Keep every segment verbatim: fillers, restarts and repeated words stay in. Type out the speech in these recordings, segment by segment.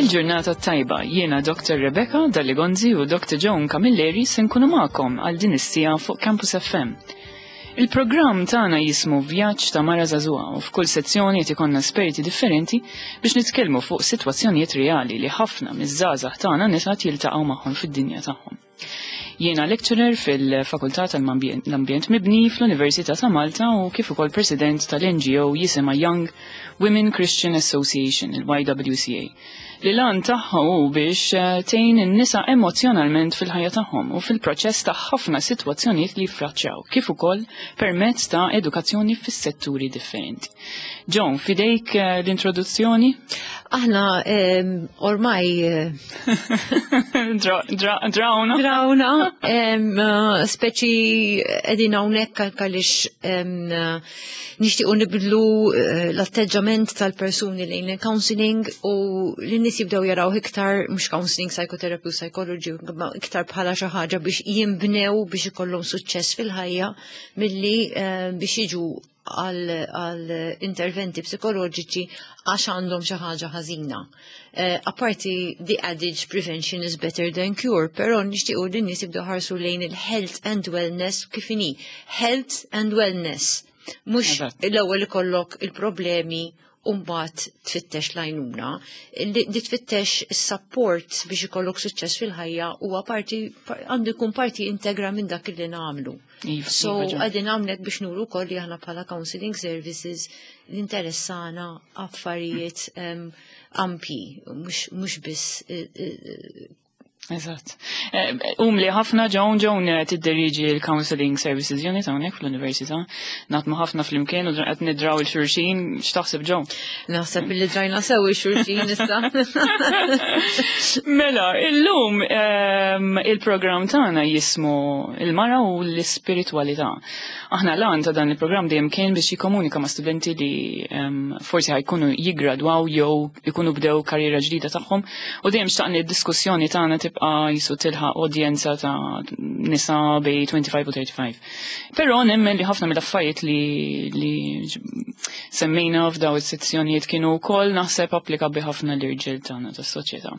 Il-ġurnata tajba, jiena Doctor Rebecca Dalligonzi u Doctor Joan Camilleri se nkunu magħkom għal din is-siegħa fuq Campus F M. Il-programm tagħna jismu Vjaġġ ta' Mara Żagħżugħa u f'kull sezzjoni qed ikollna esperti differenti biex nitkellmu fuq sitwazzjonijiet reali li ħafna miż-żgħażagħ tagħna nisa jiltaqgħu magħhom fid-dinja tagħhom. Jiena lecturer fil-Fakultà tal-Ambjent Mibni fl-Università ta' Malta u kif ukoll president tal-N G O jisimha Young Women Christian Association, il-Y W C A. Li l-għan tagħha hu biex eh, tgħin in-nisa emozjonalment fil-ħajja tagħhom u fil-proċess ta' ħafna sitwazzjonijiet li jiffaċċjaw, kif ukoll permezz ta' edukazzjoni fis-setturi differenti. Joan, fidejk eh, l-introduzzjoni? Aħna em, ormai eh, Dra- dra- Drawna? Drawna, em, eh, speċi qegħdin hawnhekk għaliex em, eh, nixtiequ nibdlu eh, l-atteġġament tal-persuni lejn il-counseling u li n-nies jibdew jaraw iktar mhux counseling, psychotherapy u psychology, imma iktar bħala xi ħaġa biex jinbnew biex ikollhom suċċess fil-ħajja milli eh, biex jiġu għal għal interventi psikoloġiċi għax għandhom xi ħaġa ħażina. Eh, Apparti the adage "prevention is better than cure", però nixtiequ li n-nies jibdew ħarsu lejn il-health and wellness kif inhi. Health and wellness. Mhux Eżatt. l-ewwel ikollok il-problemi u mbagħad tfittex l-għajnuna. Li li tfittex is-support biex ikollok suċċess fil-ħajja huwa parti għandu jkun parti integra minn dak li nagħmlu. Iva, So, iva, Joan. qegħdin hawnhekk biex nuru wkoll li aħna bħala counseling services l-interessana affarijiet em, ampi, mhux mhux biss eh, eh, Eżatt. Eh, Umli ħafna Joan, Joan eh, tidderiġi l-Counseling Services Unit hawnhekk fl-Università. Naħdmu ħafna flimkien u qed nidraw il-xulxin, x'taħseb, Joan? Naħseb li drajna sew ix-xulxin issa. Mela, illum ehm, il-programm tagħna jismu Il-Mara u l-Ispiritwalità. Aħna l-għan ta' dan il-programm dejjem kien biex jikkomunika ma' studenti li ehm, forsi ħa jkunu jigradwaw jew ikunu bdew karriera ġdida tagħhom u dejjem xtaqni d-diskussjoni tagħna tibqa' jisu tilħaq udjenza ta' nisa bejn twenty-five u thirty-five. Però nemmen li ħafna mill-affarijiet li, li semmejna f'daw is-sezzjonijiet kienu wkoll naħseb applikabbli ħafna l-irġiel tagħna tas-soċjetà.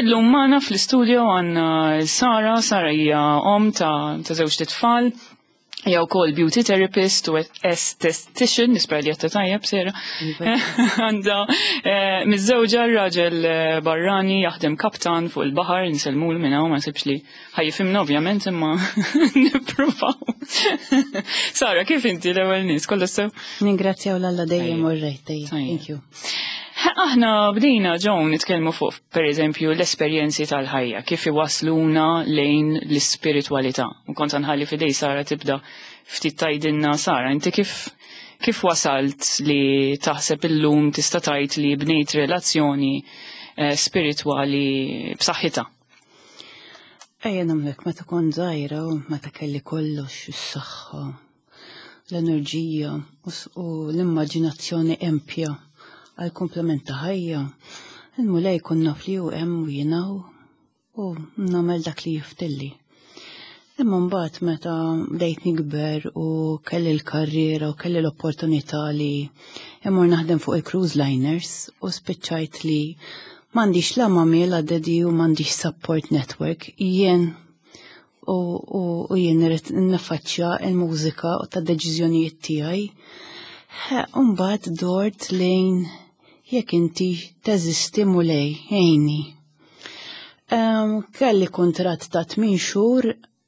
Illum magħna fl-istudio għandna Sara. Sara hija om ta' ta' żewġ tfal, hija wkoll beauty therapist u esthetician, nispera li għedtha tajjeb, Sara. Għandha eh, miżżewġa raġel eh, barrani jaħdem kaptan fuq il-baħar, nsellmulu minn hawn, ma nsibx li ħa jifhimna ovvjament, imma nippruvaw. Sara, kif inti l-ewwel nies, kollox sew? Ningrazzjaw 'l Alla dejjem Tajjeb. u rejt dejjem. Tajjeb. Thank you. Aħna bdejna, Joan, nitkellmu fuq per eżempju l-esperjenzi tal-ħajja, kif iwasluna lejn l-ispiritwalità. U kont nħalli f'idejn Sara tibda ftit tgħidilna. Sara, inti kif kif wasalt li taħseb illum tista' tgħid li bnejt relazzjoni eh, spiritwali b'saħħitha? Ejja nagħmlek, meta kont żgħira u meta kelli kollox, is-saħħa, l-enerġija u s- u l-immaġinazzjoni empja għal komplement ta' ħajja. Il-Mulej kun naf li hu hemm u jiena u nagħmel dak li jiftilli. Imma mbagħad meta bdejt nikber u kelli l-karriera u kelli l-opportunità li immur naħdem fuq il-cruise liners u spiċċajt li m'għandix la mummy la daddy u m'għandix support network, jien u, u, u jien irrid niffaċċja il-mużika u ta' deċiżjonijiet tiegħi. Mbagħad dort lejn jekk inti teżisti, Mulej, għinni. Um, kelli kontrat ta' tmien xhur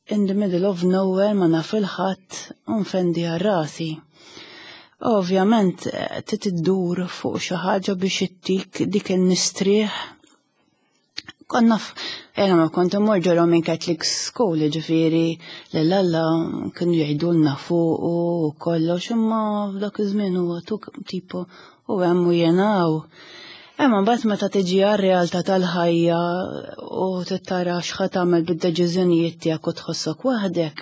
in the middle of nowhere, ma naf 'il ħadd u nfendi għal rasi. Ovvjament eh, trid iddur fuq xi ħaġa biex ittik dik il-mistrieħ. Konna jena ma kont immur ġo Roman Catholic School, ġifieri l-Alla kienu jgħidulna fuq u kollox, imma f'dak iż-żmien huwa tuk tipo u hemm u jiena u. Imma mbagħad meta tiġi għar-realtà tal-ħajja u tittara x'ħa tagħmel bid-deċiżjonijiet tiegħek u tħossok waħdek,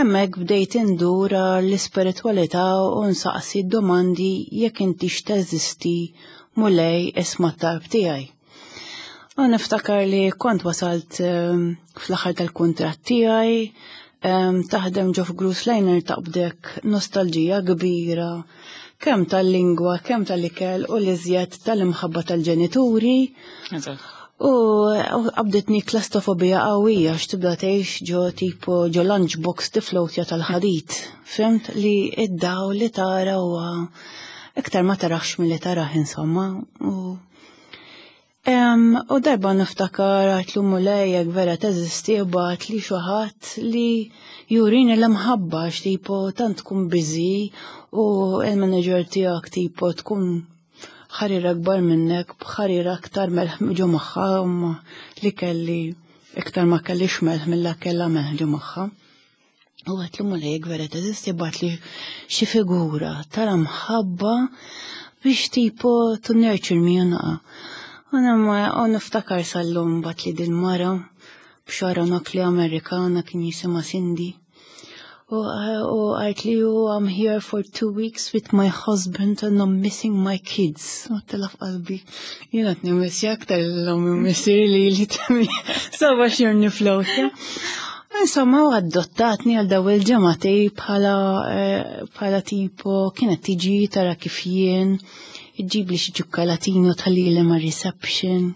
hemmhekk bdejt indur l-ispiritwalità u nsaqsi domandi: jekk inti teżisti, Mulej, isma' t-talb tiegħi. U niftakar li kont wasalt ehm, fl-aħħar tal-kuntratt tiegħi, ehm, taħdem ġo cruise liner taqbdek nostalġija kbira Kemm tal-lingwa, kemm tal-ikel u l-iżjed tal-imħabba tal-ġenituri. U qabditni klastrofobija qawwija x'tibda tgħix ġo tipo ġo lunchbox tiflowtja tal-ħadid. Fhimt li id-daw li tara huwa iktar ma tarax milli taraħ insomma. U U darba niftakar għedtlu, "Mulej, jekk vera teżisti, ibgħat li xi ħadd li jurini l-imħabba," tipo tant tkun busy u il-manager tiegħek tipo tkun ħarira akbar minnek b'ħarira aktar melħ ġo magħha li kelli iktar ma kellix melħ mill kella melħ ġo magħha. U għedtlu, "Mulej, jekk vera teżisti, ibgħat li xi figura tal-imħabba biex tipo to nurture me naqa." U ma u niftakar sal-lum bagħatli dil-mara b'xagħarha nokkli Amerikana kien jisimha Cindy. U qaltli, "I'm here for two weeks with my husband and I'm missing my kids." U għedtilha f'qalbi, jiena t-nimissja aktar l-om missir li li tami saba xir niflowtja. Insomma, u adottatni għal daw il-ġimagħtejn bħala bħala tipo kienet tiġi tara kif jien, iġġib li xi ċukkolatino tħallili ma' reception.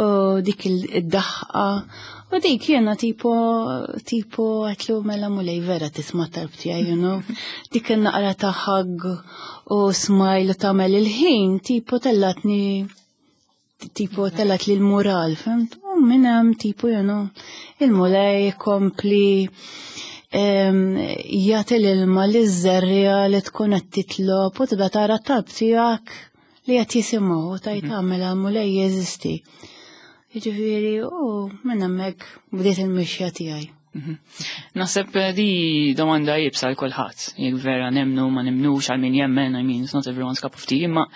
U dik id-daħqa. U dik jena tipo, tipo għedtlu, "Mela Mulej vera tisma' talb tiegħi, you know. Dik il-naqra ta' hug u smile u tagħmel il-ħin, tipo tellatni tipo tellat li l-moral, fhimt? U minn hemm tipo, you know, il-Mulej kompli jagħti l-ilma li żerriegħa li tkun qed titlob u tibda tara talb tiegħek li qed jisimgħu u tajt tagħmel Mulej jeżisti. Jiġifieri, u minn hemmhekk bdiet il-mixja tiegħi. Mhm. Naħseb di domanda iebsa għal kulħadd, jekk vera nemnu ma nemnux, għal min jemmen, I mean, it's not everyone's cup of tea, imma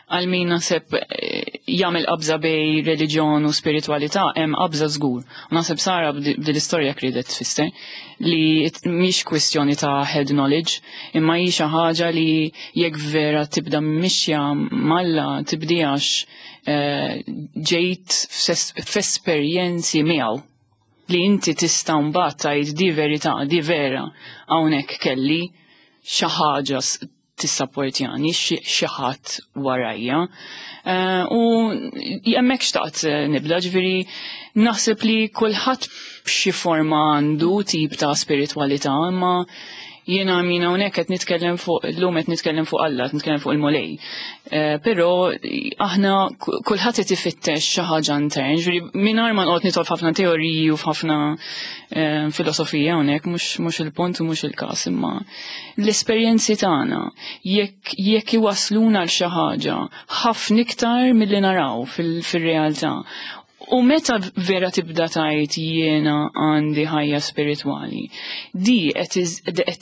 għal min naħseb eh, jagħmel qabża bejn reliġjon u spiritualità, hemm qabża żgur. U naħseb Sara b'dil istorja riedet tfisser li mhix kwistjoni ta' head knowledge, imma hi xi ħaġa li jekk vera tibda mixja m'Alla tibdijax eh, ġejt f'esperjenzi miegħu li inti tista' mbagħad tgħid di verità, di vera, hawnhekk kelli xi ħaġa tissapportjani, xi ħadd warajja. Eh, u hemmhekk xtaqt nibda, ġifieri naħseb li kulħadd b'xi forma għandu tip ta' spiritualità, imma jiena min hawnhekk qed nitkellem fuq illum, qed nitkellem fuq Alla, qed nitkellem fuq il-Mulej. Eh, però aħna kulħadd qed ifittex xi ħaġa intern, ġifieri mingħajr ma noqgħod nidħol f'ħafna teoriji u f'ħafna eh, filosofija hawnhekk, mhux mhux il-punt u mhux il-każ, imma l-esperjenzi tagħna jekk jekk iwasluna għal xi ħaġa ħafna iktar milli naraw fil-realtà. U meta vera tibda tgħid jiena għandi ħajja spiritwali, di qed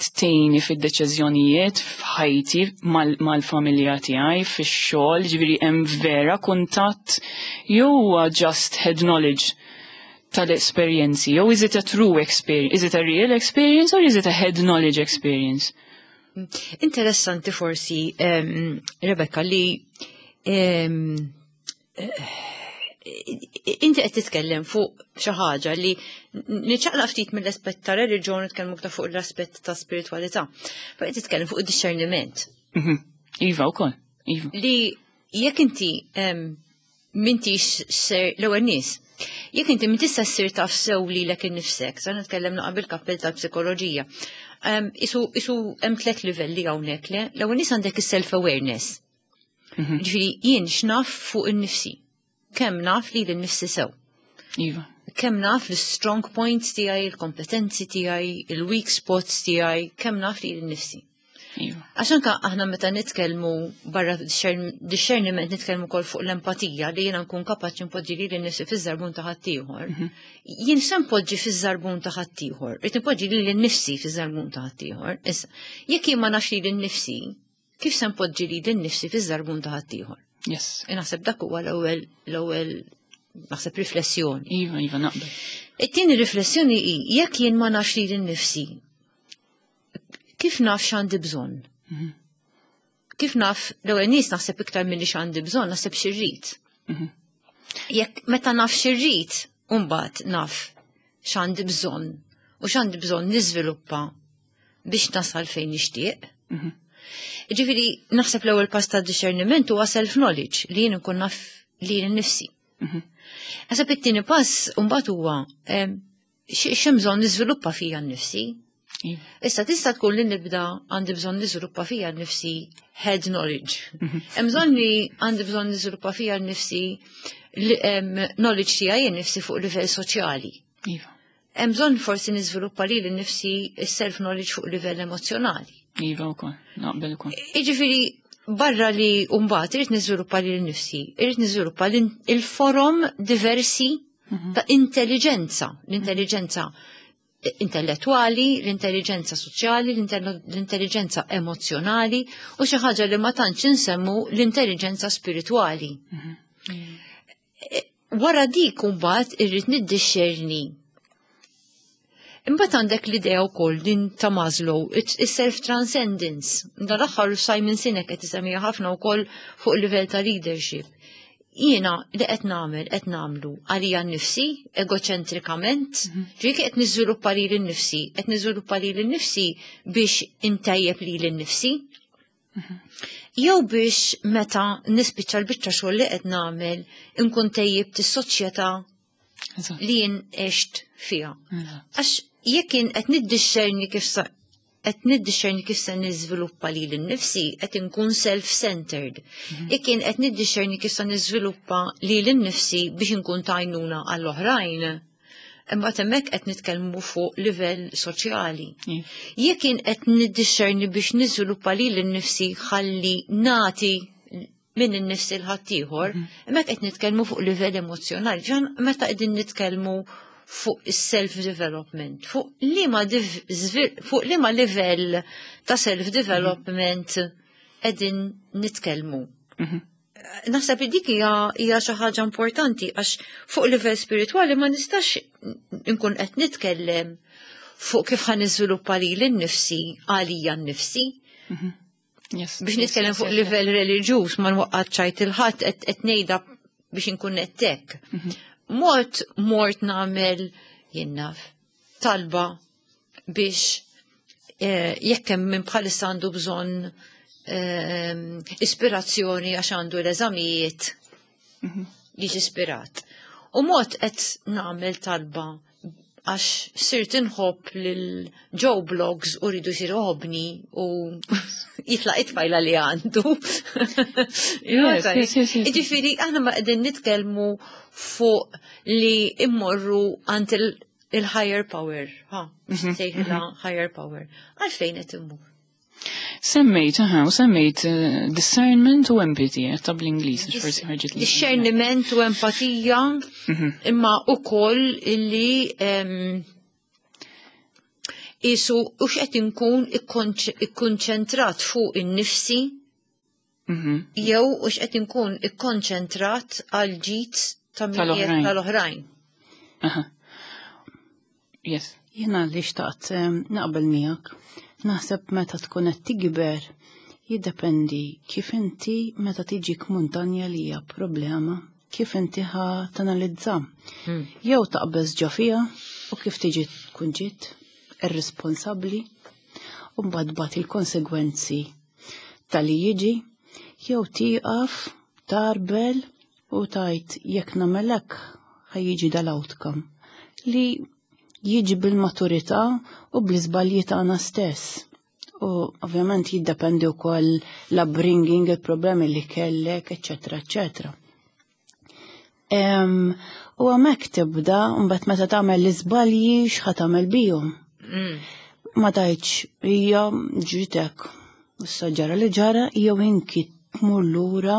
tgħinni fid-deċiżjonijiet f'ħajti mal-familja tiegħi, fix-xogħol, ġifieri hemm vera kuntatt jew huwa just head knowledge tal-esperjenzi, jew is it a true experience, is it a real experience or is it a head knowledge experience? Interessanti forsi, um, Rebecca, li um, inti qed titkellem fuq xi ħaġa li niċċaqlaq ftit mill-aspett ta' reliġjon, nitkellmu aktar fuq l-aspett ta' spiritualità. Però qed titkellem fuq id-discerniment. Mhm. Iva wkoll. Iva. Li jekk inti m'intix ser l-ewwel nies, jekk inti min tista' ssir taf sew lilek innifsek, sa nitkellem naqa' bil-kappell tal-psikoloġija. Isu isu hemm tliet livelli hawnhekk, le? L-ewwel nies għandek is-self awareness. Mhm. Ġifieri jien x'naf fuq innifsi. Kemm naf li l-nifsi sew. Iva. Kemm naf l-strong points tiegħi, il-kompetenzi tiegħi, il-weak spots tiegħi, kemm naf li l-nifsi. Iva. Għax anka aħna meta nitkellmu barra discerniment nitkellmu kol fuq l-empatija li jiena nkun kapaċi npoġġi lili nnifsi fiż-żarbun ta' ħaddieħor. Mhm. Jien se npoġġi fiż-żarbun ta' ħaddieħor, irid npoġġi lili nnifsi fiż-żarbun ta' ħaddieħor. Issa, jekk jien ma nafx lili nnifsi, kif se npoġġi lili nnifsi fiż-żarbun ta' ħaddieħor? Yes. Naħseb dak huwa l-ewwel l-ewwel naħseb riflessjoni. Iva, iva, naqbel. It-tieni riflessjoni hi jekk jien ma nafx lili nnifsi, kif naf x'għandi bżonn? Mhm. Kif naf, l-ewwel nies naħseb iktar milli x'għandi bżonn, naħseb x'irrid. Mhm. Jekk meta naf x'irrid, mbagħad naf x'għandi bżonn u x'għandi bżonn niżviluppa biex nasal fejn nixtieq. Mhm. Ġifieri, naħseb l-ewwel pass ta' discerniment huwa self-knowledge, li jien nkun naf li jien nifsi. Naħseb it-tieni pass mbagħad huwa x'hemm bżonn niżviluppa fija nnifsi. Iva. Issa tista' tkun li nibda għandi bżonn niżviluppa fija nnifsi head knowledge. Hemm bżonn li għandi bżonn niżviluppa fija nnifsi li- em, knowledge tiegħi nnifsi fuq livell soċjali. Iva. Hemm bżonn forsi niżviluppa li nnifsi self knowledge fuq livell emozjonali. Iva wkoll, naqbel ukoll. Iġifieri, barra li mbagħad irrid niżviluppa li nnifsi, irrid niżviluppa il-forom diversi ta' intelligenza, l-intelligenza intellettuali, l-intelligenza soċjali, l-intelligenza emozjonali u xi ħaġa li ma tantx insemmu, l-intelligenza spirituali. Wara dik mbagħad irrid niddixxerni. Imbagħad għandek l-idea wkoll din ta' Maslow, is-self-transcendence. Dan l-aħħar Simon Sinek qed isemmiha ħafna wkoll fuq livell ta' leadership. Jiena li qed nagħmel qed nagħmlu għalija nnifsi, egoċentrikament, ġifieri qed niżviluppa lili nnifsi, qed niżviluppa lili nnifsi biex intejjeb lili nnifsi. Jew biex meta nispiċċa l-biċċa xogħol li qed nagħmel inkun tejjibt is-soċjetà Eżatt. li jien għext fiha. Eżatt. Għax jekk jien qed niddixxerni kif sa qed niddixxerni kif se niżviluppa lili nnifsi, qed inkun self-centered. Jekk jien qed niddixxerni kif se niżviluppa lili nnifsi biex inkun t'għajnuna għall-oħrajn, imbagħad hemmhekk qed nitkellmu fuq livell soċjali. Iva. Jekk jien qed niddixxerni biex niżviluppa lili nnifsi ħalli nati minn innifsi 'l ħaddieħor, hemmhekk qed nitkellmu fuq livell emozjonali. Ġan meta qegħdin nitkellmu fuq is-self-development, fuq liema div- żvil- fuq liema livell ta' self-development qegħdin nitkellmu. Mhm. Naħseb li dik hija hija xi ħaġa importanti, għax fuq livell spiritwali ma nistax nkun qed nitkellem fuq kif ħa niżviluppa lili nnifsi għalija nnifsi. Yes. Biex yes, nitkellem yes, fuq yes, livell reliġjuż, ma nwaqqad ċajt il-ħadd, qed qed ngħidha biex inkun nettek. Mort mort nagħmel, jien naf, talba biex eh, jekk hemm min bħalissa għandu bżonn eh, ispirazzjoni għax għandu l-eżamijiet, jiġi ispirat. U mod qed nagħmel talba għax sirt inħobb lil Joe Bloggs u rridu jsir iħobbni u jitlaq it-tfajla li għandu. Yes, yes, yes, yes. Ġifieri, aħna ma qegħdin nitkellmu fuq li immorru għand il- il-higher power, ha, sejħila higher power. Għalfejn qed immur? Semmejt, aha, u semmejt eh, discernment u empathy, eh, ta' bl-Ingliż, għax forsi ħarġet li. Discerniment u empatija, imma u koll illi em, isu u x'qed inkun ikkonċ- ikkonċentrat fuq in-nifsi Mhm. jew u x'qed inkun ikkonċentrat għal ġid ta' min Tal-oħrajn. tal-oħrajn. Aha. Yes. Jena li xtaqt em, naqbel miegħek. Naħseb meta tkun qed tikber jiddependi kif inti meta tiġik muntanja li hija problema, kif inti ħa tanalizza. Jew taqbeż ġo fiha u kif tiġi tkun ġiet irresponsabbli u mbagħad tbati il-konsegwenzi tal-li jiġi, jew tieqaf tarbel u tgħid jekk nagħmel hekk ħa jiġi dal-outcome li jiġi bil-maturità u bl-iżbalji tagħna stess. U ovvjament jiddependi wkoll l-upbringing, il-problemi li kellek, eċċetera, eċċetera. Em, U hemmhekk tibda, mbagħad meta tagħmel l-iżbalji x'ħa tagħmel bihom. Ma tgħidx hija ġitek, issa ġara li ġara, jew inki tmur lura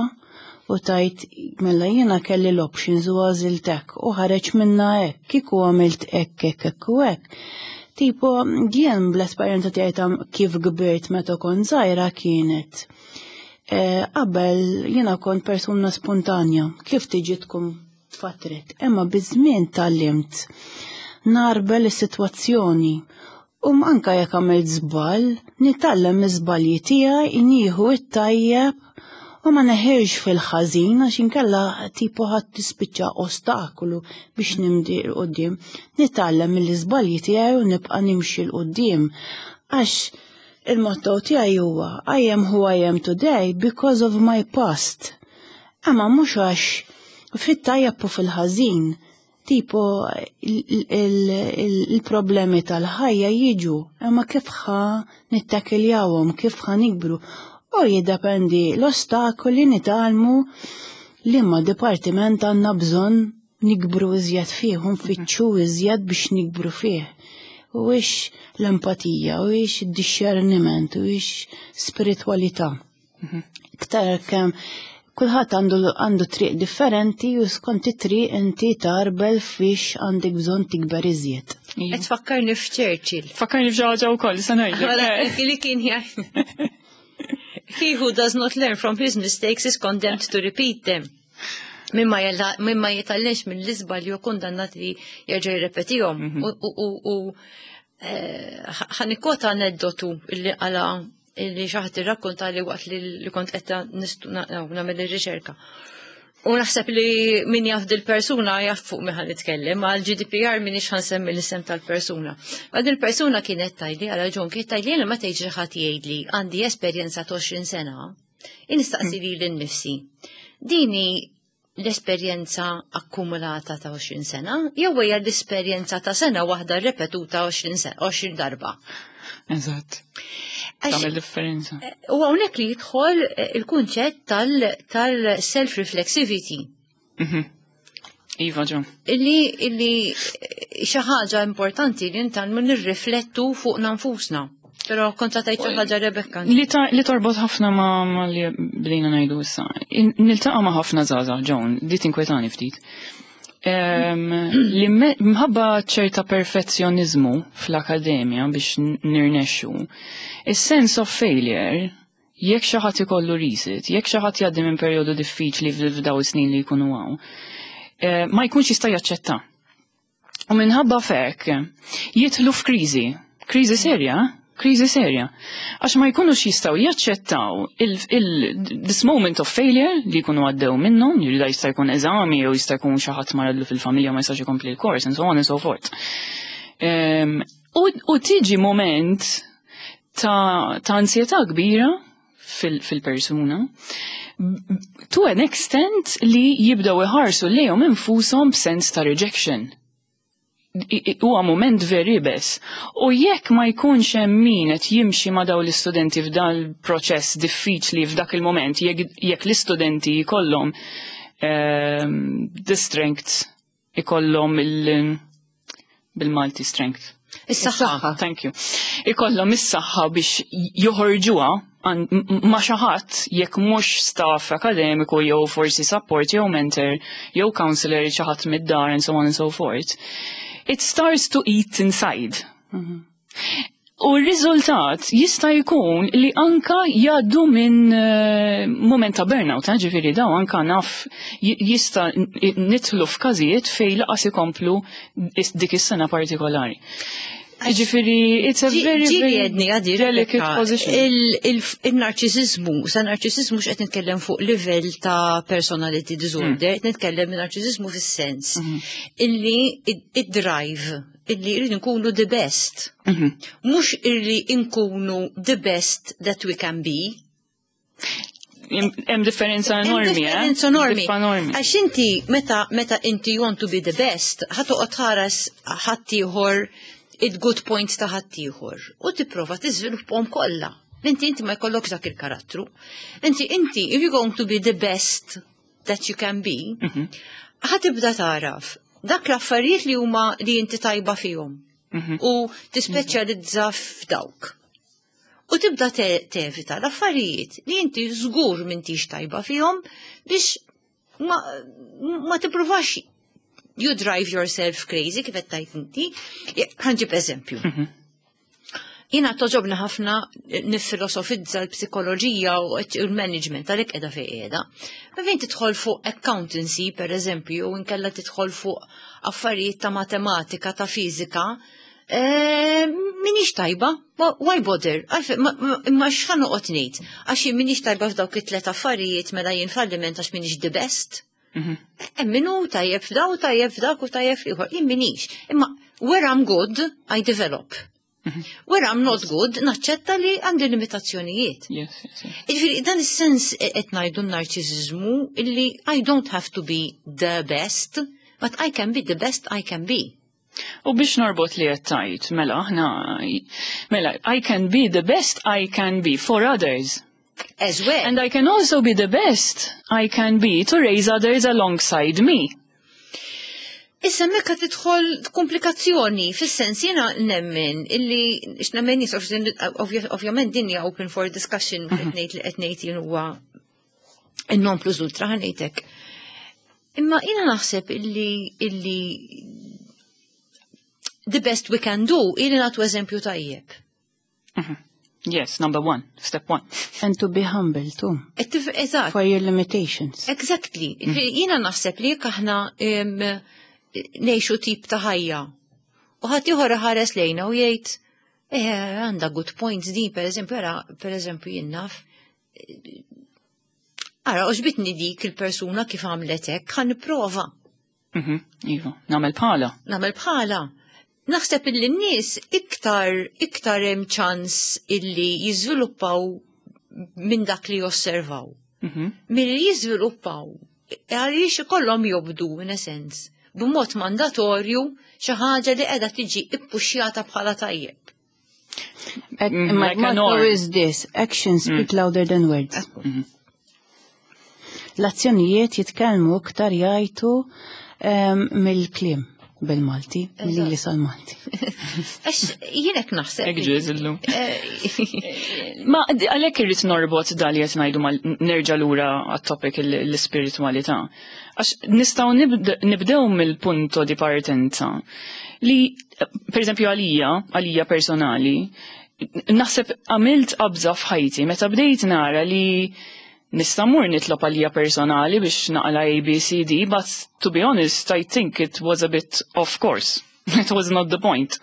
u tgħid mela jiena kelli l-options u għażilt hekk u ħareġ minna hekk, kieku għamilt hekk, hekk, hekk u hekk. Tipo, jien bl-esperjenza tiegħi ta' kif kbirt meta kont żgħira kienet. Eh, Qabel jiena kont persuna spontanja, kif tiġi tkun fatret, imma biż-żmien tgħallimt narbel is-sitwazzjoni. U anka jekk għamilt żball, nitgħallem miż-żbalji tiegħi, nieħu it-tajjeb u ma neħirx fil-ħażin għax inkella tipo ħadd tispiċċa ostakolu biex nimdi 'l quddiem. Nitgħallem mill-iżbalji tiegħi u nibqa' nimxi 'l quddiem. Għax Il-motto tiegħi huwa "I am who I am today because of my past." Imma mhux għax fit-tajjeb u fil-ħażin, tipo il-problemi tal-ħajja jiġu, imma kif ħa nittakkiljawhom, kif ħa nikbru. U jiddependi l-ostakoli, nitgħallmu li ma dipartiment għandna bżonn nikbru iżjed fih, u nfittxu iżjed biex nikbru fih. U ix l-empatija, u ix id-discerniment, u ix spiritualità. Iktar kemm kulħadd għandu għandu triq differenti u skont it-triq inti tarbel fiex għandek bżonn tikber iżjed. Qed tfakkarni f'Churchill. Fakkarni f'xi ħaġa wkoll, sa ngħidlek. Li kien jgħid: "He who does not learn from his mistakes is condemned to repeat them." Mimma mimma jitgħallimx mill-iżbalji hu kundannat li jerġa' jirrepetihom. U ħa nikkwota aneddotu illi għala illi xi ħadd irrakkonta li waqt li kont qed nagħmel ir-riċerka. U naħseb li min jaf dil-persuna jaf fuq min ħa nitkellem, għal G D P R minix ħa nsemmi l-isem tal-persuna. Ma dil-persuna kienet tgħidli, għala ġon, kienet tgħidli li meta jiġi ħadd jgħidli għandi esperjenza ta' għoxrin sena, nistaqsi lili nnifsi: Dini l-esperjenza akkumulata ta' għoxrin sena, jew hija l-esperjenza ta' sena waħda repetuta għoxrin darba? Eżatt. Tagħmel differenza. U hawnhekk li jidħol il-kunċett tal-self-reflexivity. Mhm. Iva, ġo. Illi illi xi ħaġa importanti li nitgħallmu nirriflettu fuq nfusna. Però kont tgħid xi ħaġa, Rebecca. Li, ta, li torbot ħafna ma, ma li bdejna ngħidu issa. Niltaqa' ma' ħafna żgħażagħ, Joan, di tinkwetani ftit. Um, li mħabba ċerta perfezzjonizmu fl-akademja biex nirnexxu, is-sense of failure, jekk xi ħadd ikollu resit, jekk xi ħadd jgħaddi minn perjodu diffiċli f'daw is-snin li jkunu hawn, eh, ma jkunx jista' jaċċetta. U minħabba f'hekk jidħlu f'kriżi, kriżi serja, kriżi serja. Għax ma jkunux jistgħu jaċċettaw il, il, this moment of failure li jkunu għaddew minnhom, li da jista' jkun eżami jew jista' jkun xi ħadd maradlu fil-familja, ma jistax ikompli l-kors, and so on and so forth. Um, u, u tiġi moment ta', ta' ansjetà kbira fil-persuna to an extent li jibdaw iħarsu lejhom infushom b'sens ta' rejection. Huwa moment veri bes. U jekk ma jkunx hemm min qed jimxi ma' daw l-istudenti f'dan il-proċess diffiċli f'dak il-moment, jekk jekk l-istudenti jkollhom um, the strength, ikollhom il bil-Malti strength. Is-saħħa. Thank you. Ikollhom is-saħħa biex joħorġuha ma' xi ħadd, jekk mhux staff akademiku jew forsi support jew mentor jew counselor, xi ħadd mid-dar, and so on and so forth. It starts to eat inside. U r-riżultat jista' jkun li anka jgħaddu minn uh, moment ta' burnout, eh, ġifieri daw anka naf jista' nidħlu f'każijiet fejn lanqas ikomplu dik is-sena partikolari. Ġifieri, it's a very, very delicate position. Il-narċisizmu, sa narċisizmu x'qed nitkellem fuq livell ta' personality disorder, qed nitkellem narċisizmu fis-sens illi id-drive illi rridu nkunu the best. Mhux illi nkunu the best that we can be. Hemm differenza enormi, eh? Differenza enormi. Għax inti meta meta inti you want to be the best, ħa toqgħod tħares ħaddieħor, il-good points ta' ħaddieħor u tipprova tiżviluppahom kollha. Inti inti ma jkollokx dak il-karattru. Inti inti if you're going to be the best that you can be, ħa tibda taraf dak l-affarijiet li huma li inti tajba fihom u tispeċjalizza f'dawk. U tibda tevita l-affarijiet li inti żgur m'intix tajba fihom biex ma, ma tippruvax you drive yourself crazy, kif qed tgħid inti. Ħa nġib eżempju. Jiena togħġobni ħafna nifilosofizza l-psikoloġija u l-management, għalhekk qiegħda fejn qiegħda. Ma fejn tidħol fuq accountancy, per eżempju, u nkella tidħol fuq affarijiet ta' matematika, ta' fiżika, eh, minix tajba, why bother? Imma x'ħa noqgħod ngħid? Għax jien minix tajba f'dawk it-tlet affarijiet, mela jien falliment għax minix the best. Hemm min hu tajjeb f'daw, tajjeb f'dak u tajjeb f'ieħor. Jien minix. Imma where I'm good, I develop. Where I'm not good, naċċetta li għandi limitazzjonijiet. Yes, yes, yes. Jiġifieri, dan is-sens qed ngħidu narċiżiżmu illi I don't have to be the best, but I can be the best I can be. U biex norbot li qed tgħid, mela aħna mela I can be the best I can be for others. As well. And I can also be the best I can be to raise others alongside me. Issa mekka tidħol komplikazzjoni, fis-sens jiena nemmen illi x'nemmen nies ovvjament din hija open for discussion qed ngħid li qed ngħid jien huwa in-non plus ultra ħa ngħidlek. Imma jiena naħseb illi illi the best we can do illi nagħtu eżempju tajjeb. Yes, number one, step one. And to be humble too. Eżatt. For your limitations. Exactly. Jiena naħseb li jekk aħna em, ngħixu tip ta' ħajja. U ħadd ieħor ħares lejna u jgħid, eh, għandha good points din, per eżempju, ara, per eżempju, jien naf. Ara, għoġbitni dik il-persuna kif għamlet hekk, ħa nipprova. Mhm, Iva, nagħmel bħala. Nagħmel bħala. Naħseb illi n-nies iktar iktar hemm ċans illi jiżviluppaw minn dak li josservaw. Mhm. Milli jiżviluppaw għaliex ikollhom jobdu in a sense b'mod mandatorju xi ħaġa li qiegħda tiġi ippuxjata bħala tajjeb. Mm, My like a motto norm. is this, actions speak louder than words. L-azzjonijiet jitkellmu iktar jgħajtu em, mill-kliem bil-Malti, mill-li sal-Malti. Għax jien hekk naħseb. Hekk ġiż illum. Eh, Ma għalhekk irrid norbot dal qed ngħidu mal nerġa' lura għat-topic l-ispiritualità. Għax nistgħu nibd- nibdew mill-punto di partenza li, per eżempju għalija, għalija personali, naħseb għamilt qabża f'ħajti meta bdejt nara li nista' mmur nitlob għalija personali biex naqla A, B, C, D, but to be honest, I think it was a bit off course. It was not the point.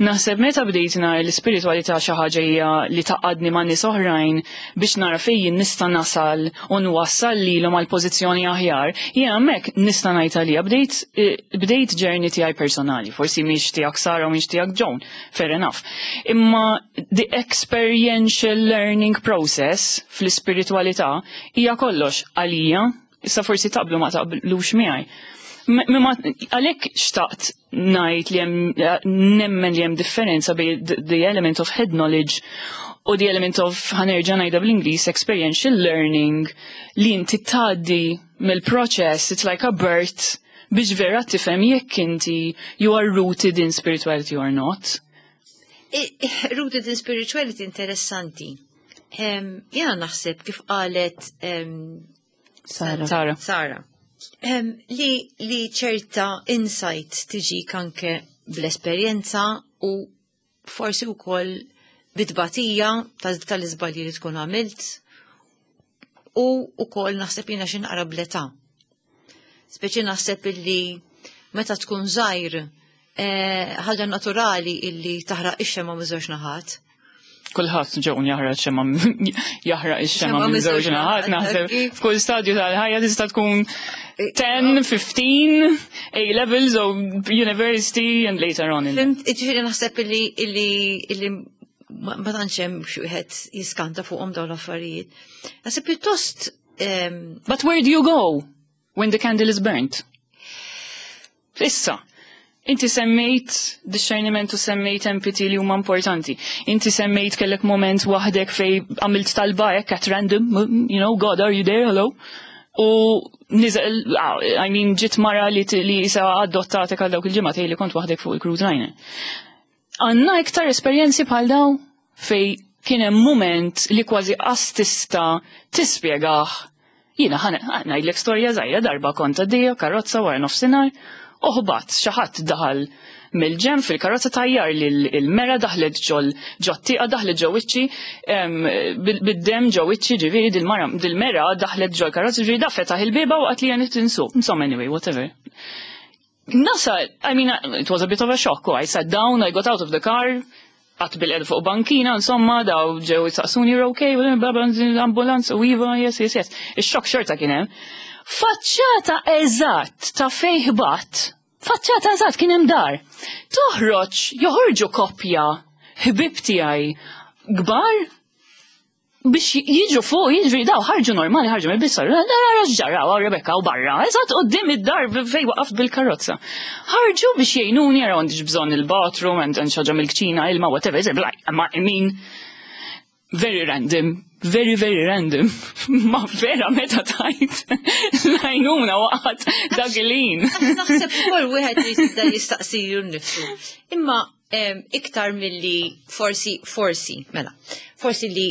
Naħseb meta bdejt nara l-ispiritualità xi ħaġa hija li tgħaqqadni ma' nies oħrajn biex nara fejn nista' nasal u nwassal lilhom għal pożizzjoni aħjar, jien hemmhekk nista' ngħid għalija bdejt eh, bdejt journey tiegħi personali, forsi mhix tiegħek Sara u mhix tiegħek Joan, fair enough. Imma the experiential learning process fl-ispiritualità hija kollox għalija, issa forsi taqblu ma taqblux miegħi. Ma għalhekk xtaqt ngħid li hemm nemmen li hemm differenza bejn the, the element of head knowledge u the element of ħa nerġa' ngħidha bl-Ingliż experiential learning li inti tgħaddi mill-proċess, it's like a birth biex vera tifhem jekk inti you are rooted in spirituality or not. I- Rooted in spirituality interessanti. Em, Jena naħseb kif qalet em, Sara. Sara. Sara. Em, li, li ċerta insight tiġi anke bl-esperjenza u forsi wkoll bit-tbatija tal-iżbalji li tkun għamilt u wkoll naħseb jiena xi naqra bl-età. Speċi naħseb illi meta tkun żgħir eh, ħaġa naturali illi taħraq ix-xema miż-żewġ naħat. Kulħadd ġewn jaħraq xema jaħraq ix-xema Xema minn żewġ miż-żewġ naħat naħat, naħseb kif? f'kull stadju tal-ħajja tista' tkun ten, fifteen, A levels or university and later on in Fhimt, ġifieri naħseb illi illi illi ma ma tantx hemm xi wieħed jiskanta fuqhom dawn l-affarijiet. Naħseb pjuttost em, But where do you go when the candle is burnt? Issa, inti semmejt discerniment u semmejt empathy li huma importanti. Inti semmejt kellek moment waħdek fej għamilt talba hekk at random, you know, "God, are you there? Hello?" U niżel, ah, I mean, ġiet mara li, li isa adottatek għal dawk il-ġimgħat li kont waħdek fuq il-cruise liner. Għandna iktar esperjenzi bħal daw fej kien hemm moment li kważi qas tista' tispjegah. Jiena ħa ngħidlek storja żgħira. Darba kont għaddejja karozza wara nofsinhar u ħbatt, xi ħadd daħal mill-ġenb fil-karozza, tajjar li l-mera daħlet ġol ġot-tieqa, daħlet ġo wiċċi bid-dem ġo wiċċi, ġifieri dil-mara dil-mera daħlet ġol karozza, ġifieri da fetaħ il-bieba waqt li jien insuq. Insomma, anyway, whatever. Nasa, I mean, it was a bit of a shock. I sat down, I got out of the car, qgħadt bilqiegħda fuq bankina, insomma, daw ġew jistaqsuni, "You're okay, bla bla, ambulanz," u "Iva, yes, yes, yes. Ix-xokk xorta kien hemm. Faċċata eżatt ta' fejn ħbatt, faċċata eżatt kien hemm dar. Toħroġ, joħorġu koppja Ħbib tiegħi kbar biex jiġu fuq, jiġri daw, ħarġu normali, ħarġu mill-bissar, ġara, Rebecca u barra, eżatt quddiem id-dar fej waqaft bil-karozza. Ħarġu biex jgħinuni, jaraw għandix bżonn il-bathroom, għand xi ħaġa mill-kċina, ilma, whatever, like, ma, I mean, very random, very, very random. Ma vera meta tajt l-għajnuna waqgħet dak il-ħin. Naħseb ukoll wieħed jista' jistaqsilu nnifsu. Imma em, iktar milli forsi, forsi, mela, forsi li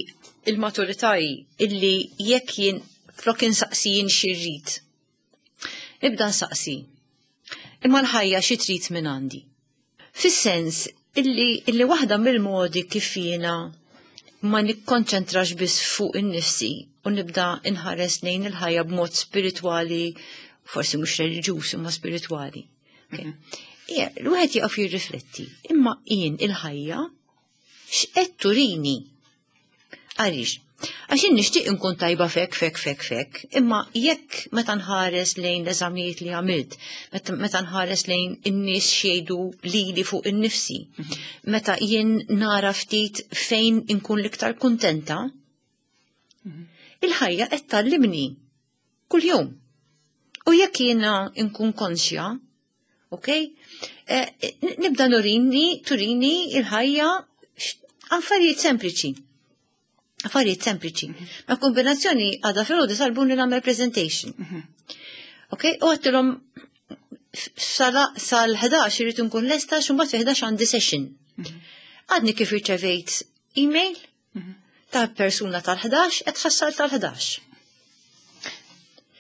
il-maturità hi illi jekk jien flok insaqsi jien x'irrid. Nibda nsaqsi. Imma l-ħajja xi trid minn għandi. Fis-sens illi, illi waħda mill-modi kif jiena ma nikkonċentrax biss fuq in-nifsi u nibda inħares lejn il-ħajja b'mod spiritwali, forsi mhux reliġjuż imma spiritwali. Okay. Ija, l-wieħed jaqaf jirrifletti, imma jien il-ħajja x'qed turini? Għaliex? Għax jien nixtieq inkun tajba fek, fek, fek, fek, imma jekk meta nħares lejn l-eżamijiet li għamilt, meta meta nħares lejn in-nies xejdu lili fuq in-nifsi, meta jien nara ftit fejn inkun l-iktar kuntenta, il-ħajja qed tgħallimni kuljum. U jekk jiena nkun konxja, ok, eh, nibda nurini, turini il-ħajja affarijiet sempliċi. Affarijiet sempliċi. Ma kombinazzjoni għada filgħodu talbuni nagħmel presentation. Ok, u għedtilhom sal-ħdax irrid nkun lesta xumbat fi ħdax għandi session. Għadni kif irċevejt email ta' persuna tal-ħdax qed tħassal tal-ħdax.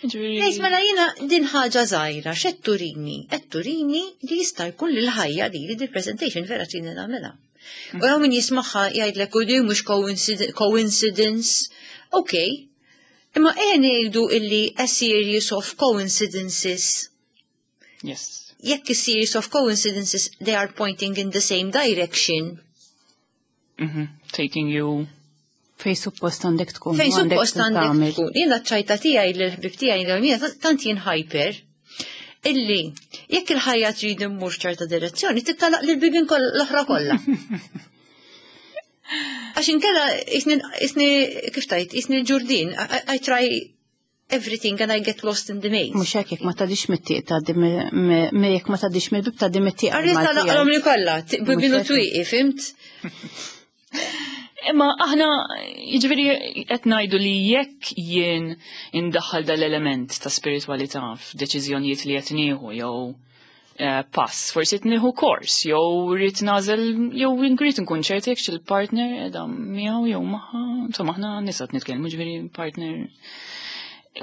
Ngħid mela jiena din ħaġa żgħira x'qed turini? Qed turini li jista' jkun li l-ħajja li li presentation vera trini nagħmilha. U hawn min jismagħha jgħidlek u di mhux coincidence. Ok. Imma ejja ngħidu illi a series of coincidences. Yes. Jekk a series of coincidences they are pointing in the same direction. Mm -hmm. Taking you Fej suppost għandek tkun. Fej suppost għandek tkun. Jiena ċajta tiegħi l-ħbib tiegħi tant jien hyper illi jekk il-ħajja trid immur ċerta direzzjoni tittalaq lil bibien l-oħra kollha. Għax inkella isni kif tajt, isni ġurdin, I try everything and I get lost in the maze. Mhux hekk jekk ma tgħaddix mit-tieq tgħaddi jekk ma tgħaddix mill-bib tgħaddi mit-tieq. Għarri talaqhom li kollha, bibien u twieqi, fimt? Imma aħna, jiġifieri qed ngħidu li jekk jien indaħħal dal-element ta' spiritualità f'deċiżjonijiet li qed nieħu jew eh, pass, forsi qed nieħu kors, jew rrid nagħżel jew rrid nkun ċert jekk il-partner qiegħda miegħu jew magħha, insomma aħna nisa nitkellmu ġifieri partner.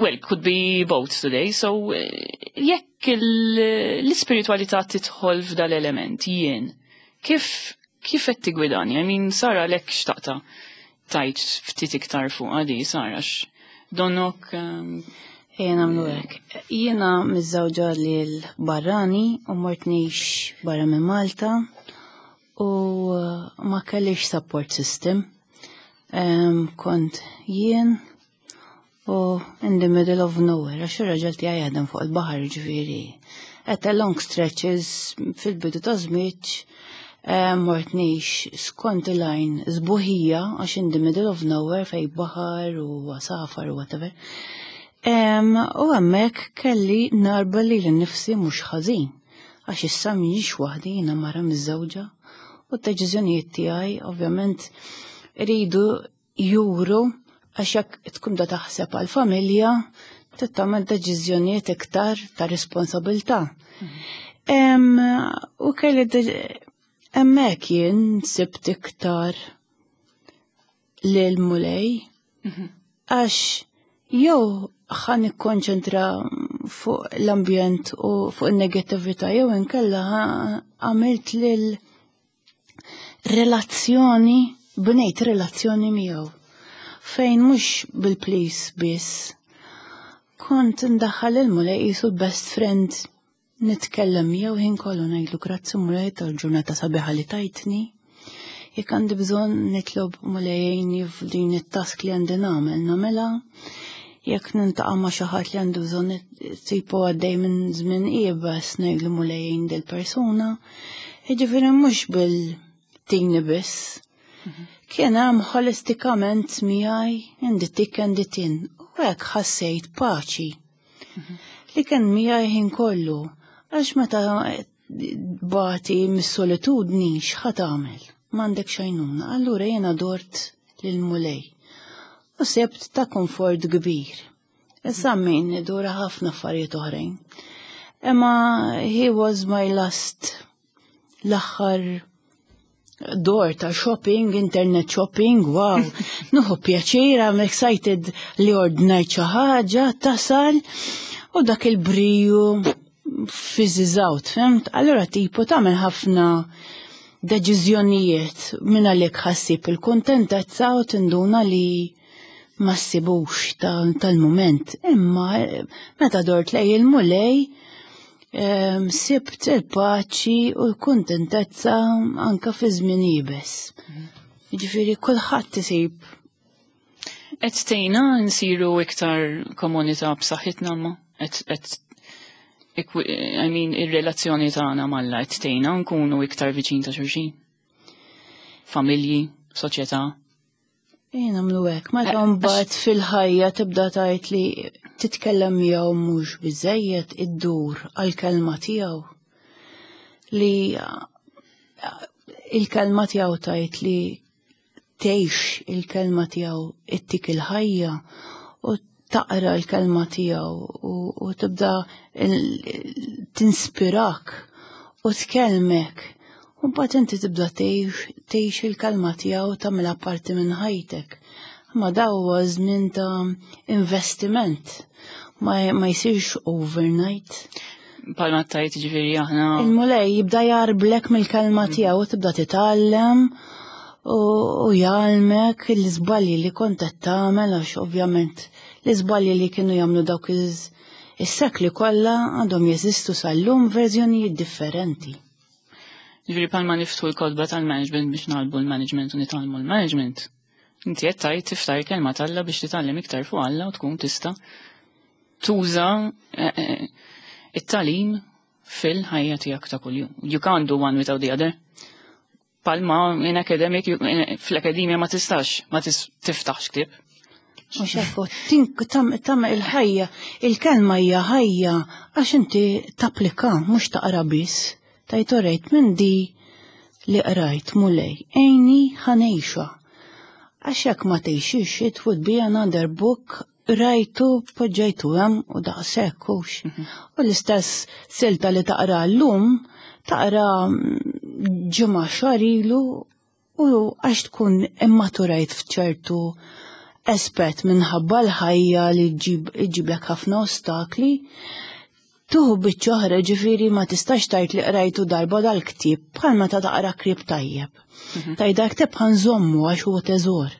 Well, could be both today, so eh, jekk l-ispiritualità tidħol f'dal-element jien, kif kif qed tigwidani? I mean, Sara lek xtaqta tajt ftit iktar fuq għadi, Sara, donnok. Um, Ejja nagħmlu hekk. Jiena miżżewġa lil barrani u mort ngħix barra minn Malta u uh, ma kellix support system. Um, kont jien u in the middle of nowhere, għax ir-raġel tiegħi jaħdem fuq il-baħar ġifieri. At a long stretches fil-bidu ta' żmieġ mort ngħix skont il-għajn sbuħija għax in the middle of nowhere fej baħar u għasafar u whatever. U hemmhekk kelli narba li l-nifsi mhux ħażin għax issa mhijiex waħdi jiena mara miżżewġa u d-deċiżjonijiet tiegħi ovvjament iridu juru għax jekk tkun da taħseb għal-familja trid tagħmel deċiżjonijiet iktar ta' responsabilità. U kelli hemmhekk jien sibt iktar lil Mulej għax jew ħa nikkonċentra fuq l-ambjent u fuq il-negatività jew inkella għamilt lil relazzjoni, bnejt relazzjoni miegħu. Fejn mhux bil-please biss. Kont ndaħħal il-Mulej qisu l-best friend nitkellem miegħu ħin kollu ngħidlu grazzi Mulej tal-ġurnata sabiħa li tajtni. Jekk għandi bżonn nitlob Mulej jgħinni f'din it-task li għandi nagħmel nagħmilha. Jekk niltaqa' ma' xi ħadd li għandu bżonn tipo għaddej minn żmien iebes ngħidlu Mulej jgħin dil-persuna. Jiġifieri mhux bil tini biss. Kien hemm holistikament miegħi in the thick and the thin. U hekk ħassejt paċi. Li kien miegħi ħin kollu. Għax meta tbati mis-solitudni x'ħa tagħmel? M'għandek xajnuna. Allura jiena dort lill-Mulej. U sibt ta' komfort kbir. Issa min idura ħafna affarijiet oħrajn. Imma he was my last, l-aħħar door ta' shopping, internet shopping, wow. Nieħu pjaċir, I'm excited li ordnajt xi ħaġa, tasal, u dak il-briju fizzes out, fhimt? Allora tipo tagħmel ħafna deċiżjonijiet minn għalik ħassib il-kontentezza u tinduna li ma ssibux tal-moment. Imma meta dort lej il-Mulej, em, sibt il-paċi u l-kontentezza anka fi żmien iebes. Ġifieri kulħadd isib. Qed tgħinna nsiru iktar komunità b'saħħitna ma? Qed qed I mean, ir-relazzjoni tagħna m'Alla qed tgħinna nkunu iktar viċin ta' xulxin. Familji, soċjetà. Jien nagħmlu hekk, meta Eh, mbagħad fil-ħajja tibda tgħid li titkellem miegħu mhux biżejjed, iddur għall-kelma tiegħu. Li il-kelma tiegħu tgħid li tgħix il-kelma tiegħu ittik il-ħajja u taqra l-kelma tiegħu u, u tibda il- tinspirak u tkellmek. U mbagħad inti tibda tgħix tgħix il-kelma tiegħu, tagħmilha parti minn ħajtek. Ma daw huwa żmien ta' investiment. Ma, ma jsirx overnight. Palma tajt ġifieri aħna. Il-Mulej jibda jgħarblek mill-kelma tiegħu u tibda titgħallem u, u jgħallmek l-iżbalji li kont qed tagħmel, għax ovvjament l-iżbalji li kienu jagħmlu dawk iż- is-sekli kollha għandhom jeżistu sal-lum, verżjonijiet differenti. Ġifieri palma niftħu l-kotba tal-management biex nagħlbu l-management u nitgħallmu l-management. Inti qed tgħid tiftaħ il-kelma t'Alla biex titgħallem iktar fuq Alla u tkun tista' tuża eh, eh, it-tagħlim fil-ħajja tiegħek ta' kuljum. You can't do one without the other. Palma in academic, you- in- fl-akademja ma tistax, ma tis- tiftaħx ktieb. U xekku, tink tam, tam il-ħajja, il-kelma hija ħajja, għax inti tapplika, mhux taqra biss. Tajt orejt minn di li qrajt, Mulej, għinni ħa ngħixha. Għax jekk ma tgħixix, it would be another book, rajtu, poġġejtu hemm u daqshekk hux. U l-istess silta li taqra llum, taqra mm, ġimgħa, xahar ilu, u għax tkun immaturajt f'ċertu aspett minħabba l-ħajja li ġib iġiblek ħafna ostakli, tuħu biċċa oħra. Ġifieri ma tistax tgħid li qrajtu darba dal-ktieb, bħal meta taqra ktieb tajjeb. Tgħid dak ktieb ħa nżommu għax huwa teżor.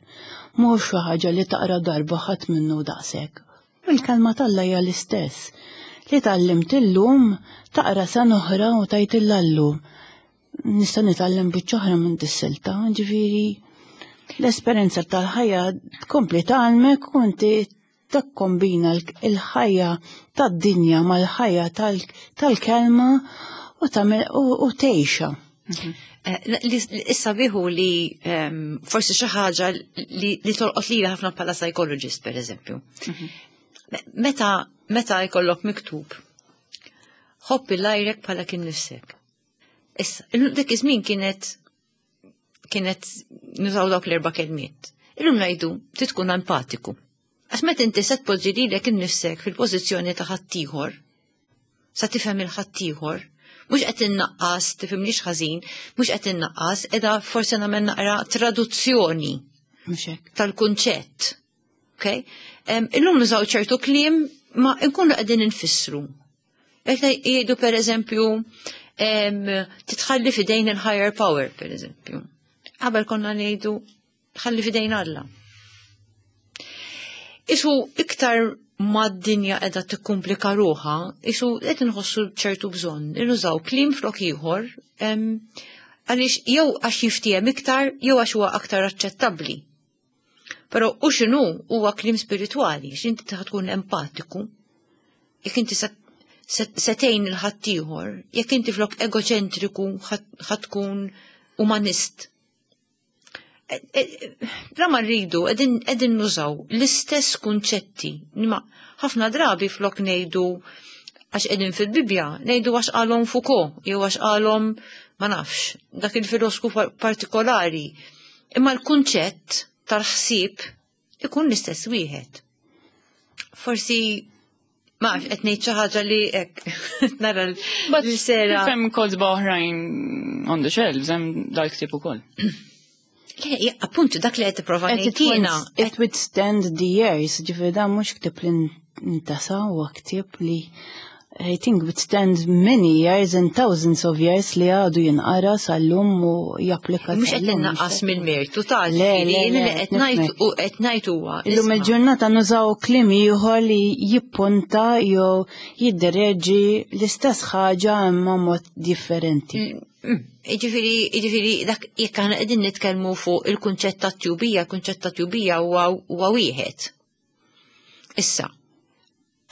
Mhux xi ħaġa li taqra darba ħadd minnu daqshekk. U l-kelma t'Alla hija l-istess. Li tgħallimt illum, taqra sena oħra u tgħid illallu. Nista' nitgħallem biċċa oħra minn dis-silta, ġifieri l-esperjenza tal-ħajja tkompli tgħallmek u inti takkombina l- il-ħajja tad-dinja mal-ħajja tal- tal-kelma u tagħmel u u tgħixha. Eh, li- li- Issa biħu li ehm, forsi xi ħaġa li li tolqot lili ħafna bħala psychologist, per eżempju. Me- Meta meta jkollok miktub "ħobb lil għajrek bħalek innifsek". Issa, illum- dik iż-żmien kienet kienet nużaw dawk l-erba' kelmiet. Illum ngħidu trid tkun empatiku. Għax meta inti se tpoġġi lilek innifsek fil-pożizzjoni ta' ħaddieħor, sa tifhem il-ħaddieħor, mhux qed innaqqas, tifhimniex ħażin, mhux qed innaqqas, qiegħda forsi nagħmel naqra traduzzjoni Mhux hekk. tal-kunċett. Okay? Um, illum nużaw ċertu kliem ma nkunu qegħdin infissru. Jekk jgħidu, per eżempju, em, titħalli fidejn il-higher power, per eżempju. Qabel konna ngħidu ħalli fidejn Alla. Isu iktar ma d-dinja qiegħda tikkumplika ruħha, isu qed inħossu ċertu bżonn nużaw kliem flok ieħor, em, għaliex jew għax jiftiehem iktar jew għax huwa aktar aċċettabbli. Però u x'inhu huwa kliem spiritwali, x'inti ta' tkun empatiku. Jekk inti se se tgħin il ħaddieħor, jekk inti flok egoċentriku ħa tkun umanist. Bla ma rridu qegħdin nużaw l-istess kunċetti. Ma ħafna drabi flok ngħidu għax qegħdin fil-Bibja, ngħidu għax qalhom Foucault, jew għax qalhom ma nafx, dak il-filosku partikolari. Imma l-kunċett tal-ħsieb ikun l-istess wieħed. Forsi ma qed ngħid xi ħaġa li hekk nara l-sera. Hemm kotba oħrajn on the shelves, hemm dal-ktieb ukoll. Le, appuntu dak li qed tipprova ngħid jiena. It withstand the years, ġifieri dan mhux ktieb li ntasa huwa ktieb li I think withstand many years and thousands of years li għadu jinqara sal-lum u japplika. Mhux qed innaqqas mill-mertu tal li qed ngħid u qed ngħid huwa. Illum il-ġurnata nużaw kliem ieħor li jippunta jew jiddereġi l-istess ħaġa imma mod differenti. Jiġifieri, jiġifieri dak jekk aħna qegħdin nitkellmu fuq il-kunċett ta' tjubija, il-kunċett ta' tjubija huwa wieħed. Issa,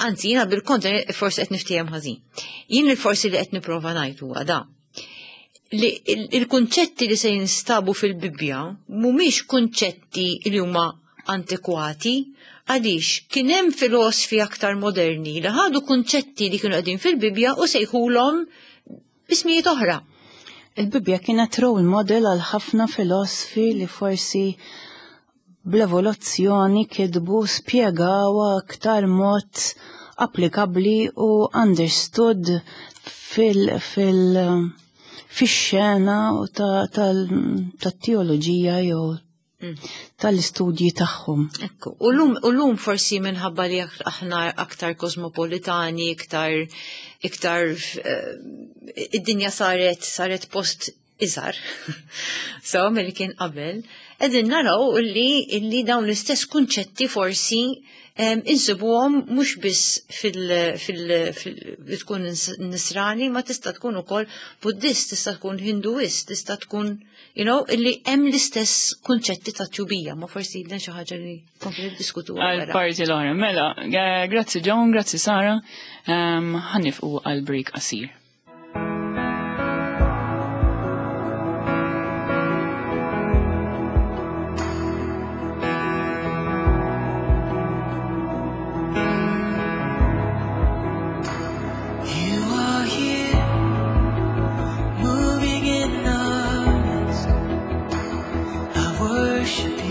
anzi, jiena bil-kontra forsi qed niftiehem ħażin. Jien li forsi li qed nipprova ngħid huwa da. Li il-kunċetti li se jinstabu fil-Bibbja mhumiex kunċetti li huma antikwati, għaliex kien hemm filosfi aktar moderni li ħadu kunċetti li kienu qegħdin fil-Bibbja u sejħulhom bismijiet oħra. Il-Bibbja kienet role model għal ħafna filosfi li forsi bl-evoluzzjoni kitbu spjegaw aktar mod applikabli u understood fil fil fix-xena u tat-teoloġija jew tal-istudji tagħhom. Ekku, u lum, u lum forsi minħabba li aħna aktar kosmopolitani, iktar iktar uh, id-dinja saret saret post iżgħar. So, milli kien qabel, qegħdin naraw illi illi dawn l-istess kunċetti forsi um, insibuhom mhux biss fil, fil, fil tkun nisrani, ma tista' tkun ukoll Buddist, tista' tkun Hinduist, tista' tkun, you know, illi hemm l-istess kunċetti ta' tjubija, ma forsi dan xi ħaġa li kompli niddiskutu Għal parti l-oħra. Mela, grazzi John, grazzi Sara, um, ħa nieqfu għal break qasir. I worship you.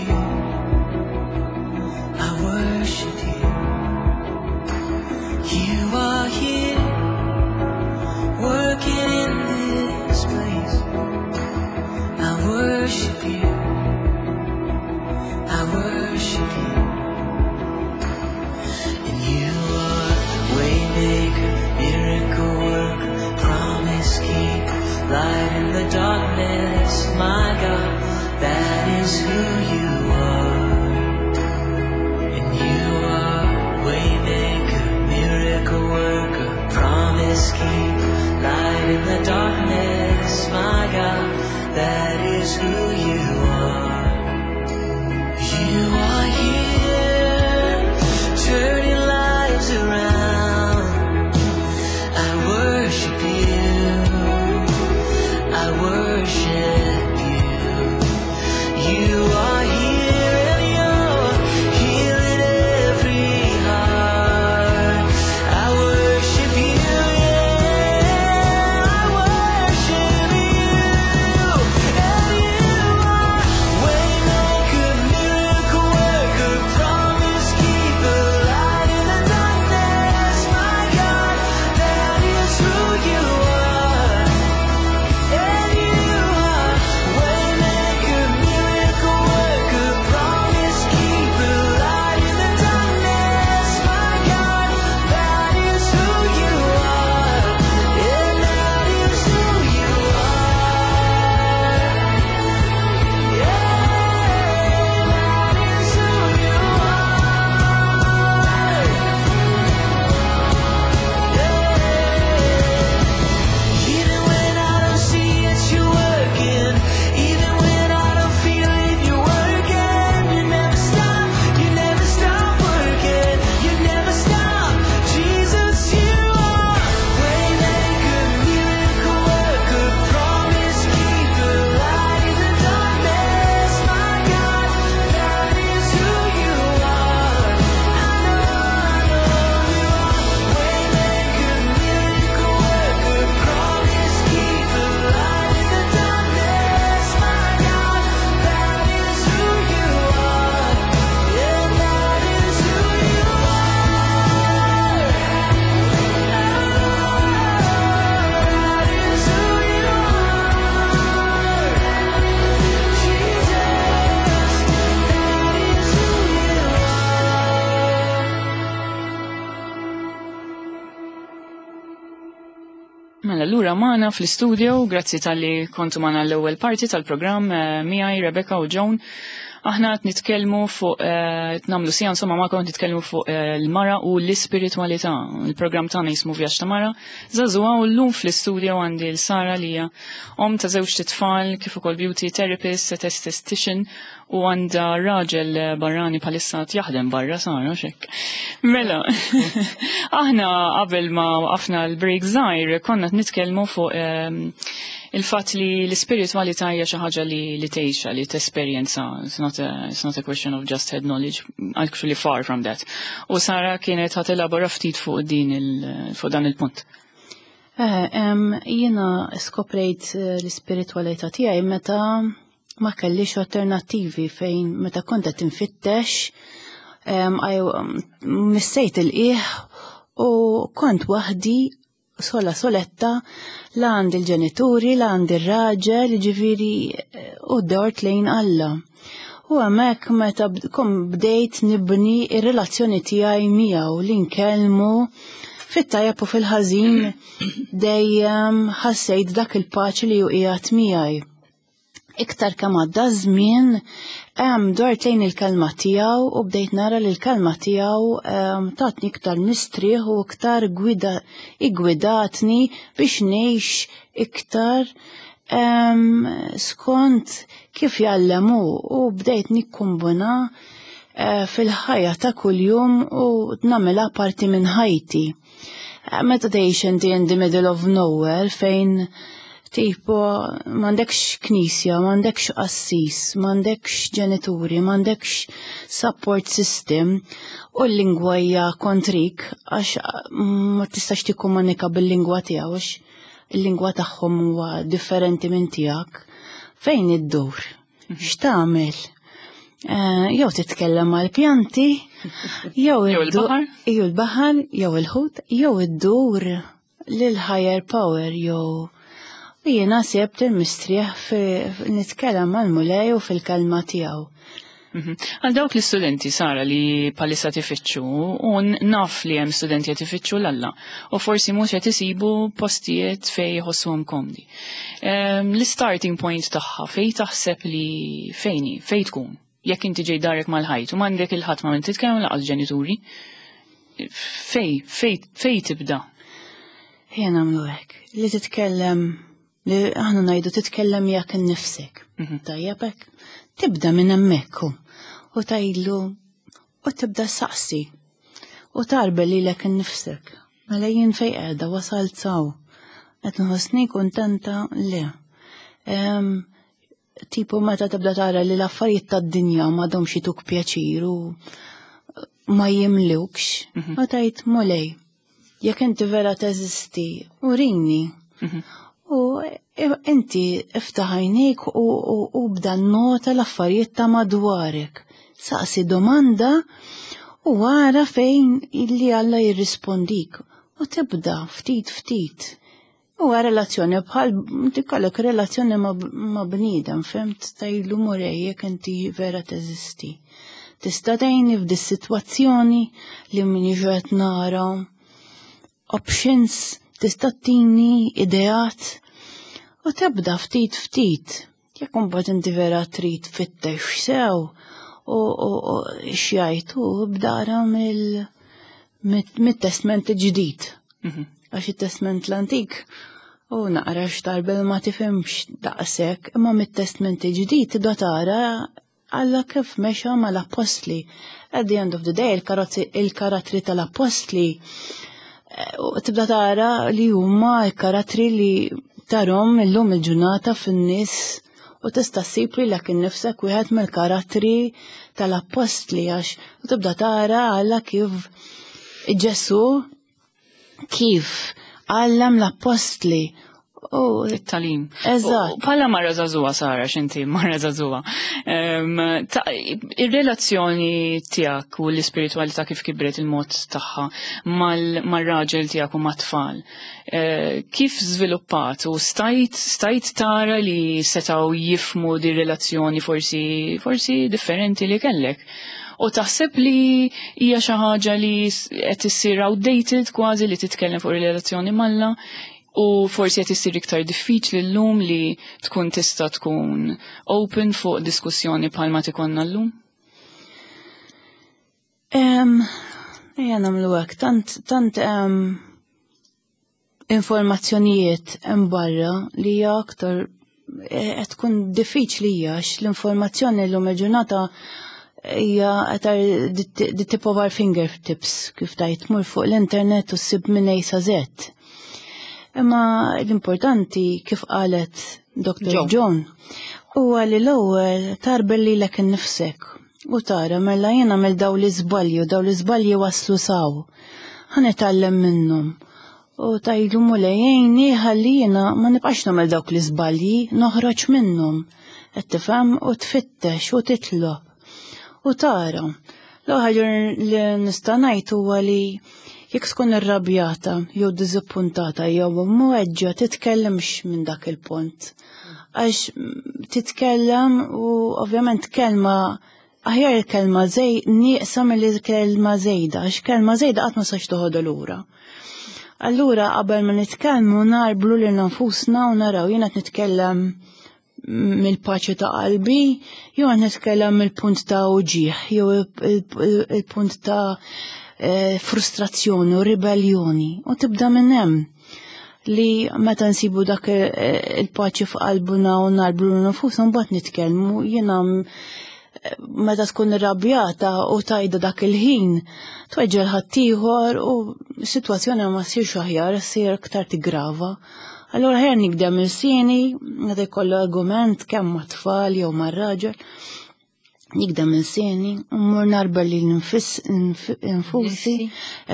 Mela, lura magħna fl-istudio, grazzi talli kontu magħna l-ewwel parti tal-programm eh, miegħi Rebecca u Joan. Aħna qed nitkellmu fuq eh, qed nagħmlu sija insomma magħkom qed nitkellmu fuq eh, l-mara u l-ispiritwalità. Il-programm tagħna jismu Vjaġġ ta' Mara. Żagħżugħa u llum fl-istudio għandi l Sara li hija om ta' żewġ tfal kif ukoll beauty therapist, esthetician u għandha raġel barrani bħalissa jaħdem barra Sara xek. Mela, aħna qabel ma waqafna l-break żgħir konna qed nitkellmu fuq ehm, il-fatt li l-ispiritwalità hija xi ħaġa li li tgħixha, li tesperjenza. It's not a, it's not a question of just head knowledge, actually far from that. U Sara kienet ħa telabora ftit fuq din il fuq dan il-punt. Eh, em, jiena skoprejt eh, l-ispiritwalità tiegħi meta ma kellix alternattivi fejn meta kont qed infittex em, għaj- missejt il-qiegħ u kont waħdi sola soletta la għand il-ġenituri, la għand il-raġel, ġifieri eh, u dort lejn Alla. U hemmhekk meta bd- kom bdejt nibni ir-relazzjoni tiegħi miegħu li nkellmu fit-tajjeb u fil-ħażin dejjem ħassejt dak il-paċi li hu qiegħed miegħi. Iktar kemm għadda żmien, hemm dort lejn il-kelma tiegħu u bdejt nara li l-kelma tiegħu em, tatni iktar mistrieħ u iktar gwida igwidatni biex ngħix iktar em, skont kif jgħallem hu u bdejt nikkombina eh, fil-ħajja ta' kuljum u nagħmilha parti minn ħajti. Eh, Meta tgħix inti in the middle of nowhere fejn tipo m'għandekx knisja, m'għandekx qassis, m'għandekx ġenituri, m'għandekx support system u l-lingwa hija kontrik għax ma tistax tikkomunika bil-lingwa tiegħu għax il-lingwa tagħhom huwa differenti minn tiegħek. Fejn iddur? X'tagħmel? Eh, Jew titkellem mal-pjanti, jew Jew iddu- il-baħar. jew il-baħar, jew il-ħut, jew iddur lil higher power, jew jiena sibt il-mistrieħ fi nitkellem mal-Mulej u fil-kelma tiegħu. Mhm. Għal dawk l-istudenti, Sara, li bħalissa tifittxu, u naf li hemm studenti qed ifittxu 'l Alla, u forsi mhux qed isibu postijiet fejn jħossuhom komdi. Ehm, L-starting point tagħha fejn taħseb li fejni, fejn tkun? Jekk inti ġej darek mal-ħajt u m'għandek il-ħadd ma' min titkellem lanqas ġenituri, fej, fej, fej tibda? Ejja nagħmlu hekk. Li titkellem, li aħna ngħidu titkellem miegħek innifsek. Mhm. Tajjeb hekk? Tibda minn hemmhekk hu. U tgħidlu u tibda saqsi. U tgħarbel lilek innifsek. Mela jien fej qiegħda wasalt s'hawn. Qed nħossni kuntenta le. Em, tipo meta tibda tara li l-affarijiet tad-dinja m'għadhomx jituk pjaċir u ma jimlukx, Mhm. u tgħid Mulej, jekk inti vera teżisti, urini. Mhm. U inti iftaħ għajnejk u, u, u bda nota l-affarijiet ta' madwarek. Saqsi domanda u għara fejn illi Alla jirrispondik. U tibda ftit ftit. U relazzjoni bħal tikollok relazzjoni ma, ma bniedem, fhimt tgħidlu Mulej jekk inti vera teżisti. Tista' tgħinni f'dis-sitwazzjoni li m'iniex qed nara options, tista' tini ideat u tibda ftit ftit. Jekk imbagħad inti vera trid tfittex sew u, u, u x'jgħid hu bdara mill mit-testment ġdid. Mhm. Għax it-testment l-antik u naqra x'tarbel ma tifhimx daqshekk, imma mit-testment ġdid tibda tara Alla kif mexa mal-apostli. At the end of the day, il-karozzi- il-karattri tal-apostli eh, u tibda tara li huma l-karattri li tarahom illum il-ġurnata fin-nies u tista' ssib lilek innifsek wieħed mill-karattri tal-apostli għax u tibda tara Alla kif Ġesu kif għallem l-apostli u It-tagħlim. Eżatt. U Bħala mara żagħżugħa, Sara, x'inti mara żagħżugħa. Em, ta- Ir-relazzjoni tiegħek u l-ispiritualità kif kibret il-mod tagħha mal- mar-raġel tiegħek u mat-tfal. Eh, Kif żviluppat u stajt stajt tara li setgħu jifhmu di relazzjoni forsi forsi differenti li kellek? U taħseb li hija xi ħaġa li s- qed issir outdated kważi li titkellem fuq ir-relazzjoni m'Alla U forsi qed issir iktar diffiċli llum li tkun tista' tkun open fuq diskussjoni bħalma tikonna llum? Ejja nagħmlu hekk, tant tant informazzjonijiet hemm barra li hija aktar eh, qed tkun diffiċli għax l-informazzjoni llum il-ġurnata hija qed the tip of our fingertips, kif tajt tmur fuq l-internet u ssib minn A sa Z. Imma l-importanti, kif qalet Doctor John, huwa li l-ewwel tgħarbel lilek innifsek u tara, mela jien għamel daw l-iżbalji u daw l-iżbalji waslu s'hawn. Ħa nitgħallem minnhom. U tgħidlu, "Mulej, għinni ħalli jiena ma nibqax nagħmel dawk l-iżbalji, noħroġ minnhom." Qed tifhem? U tfittex u titlob. U tara. L-ħaġa li nista' ngħid huwa li jekk tkun irrabjata jew diżappuntata jew mweġġa, titkellimx minn dak il-punt. Għax titkellem u ovvjament kelma aħjar kelma zej nieqsa mill kelma zejda, għax kelma zejda qatt ma sax toħodha lura. Allura qabel ma nitkellmu ngħarblu lil nfusna u naraw jiena qed nitkellem mill-paċi ta' qalbi jew qed nitkellem mill-punt ta' uġieħ jew il-punt ta' eh, frustrazzjoni u ribellioni, u tibda minn hemm li meta nsibu dak il-paċi f'qalbuna u ngħarblu nfusna, mbagħad nitkellmu. Jiena meta tkun irrabjata u tgħidha dak il-ħin, tweġġel ħaddieħor u s-sitwazzjoni ma ssirx aħjar, ssir aktar tigrava. Allura aħjar nigdem ilsieni meta jkollu argument kemm ma' tfal jew ma' raġel. Nigdem ilsieni, u mmur ngħarbel lili nfusi,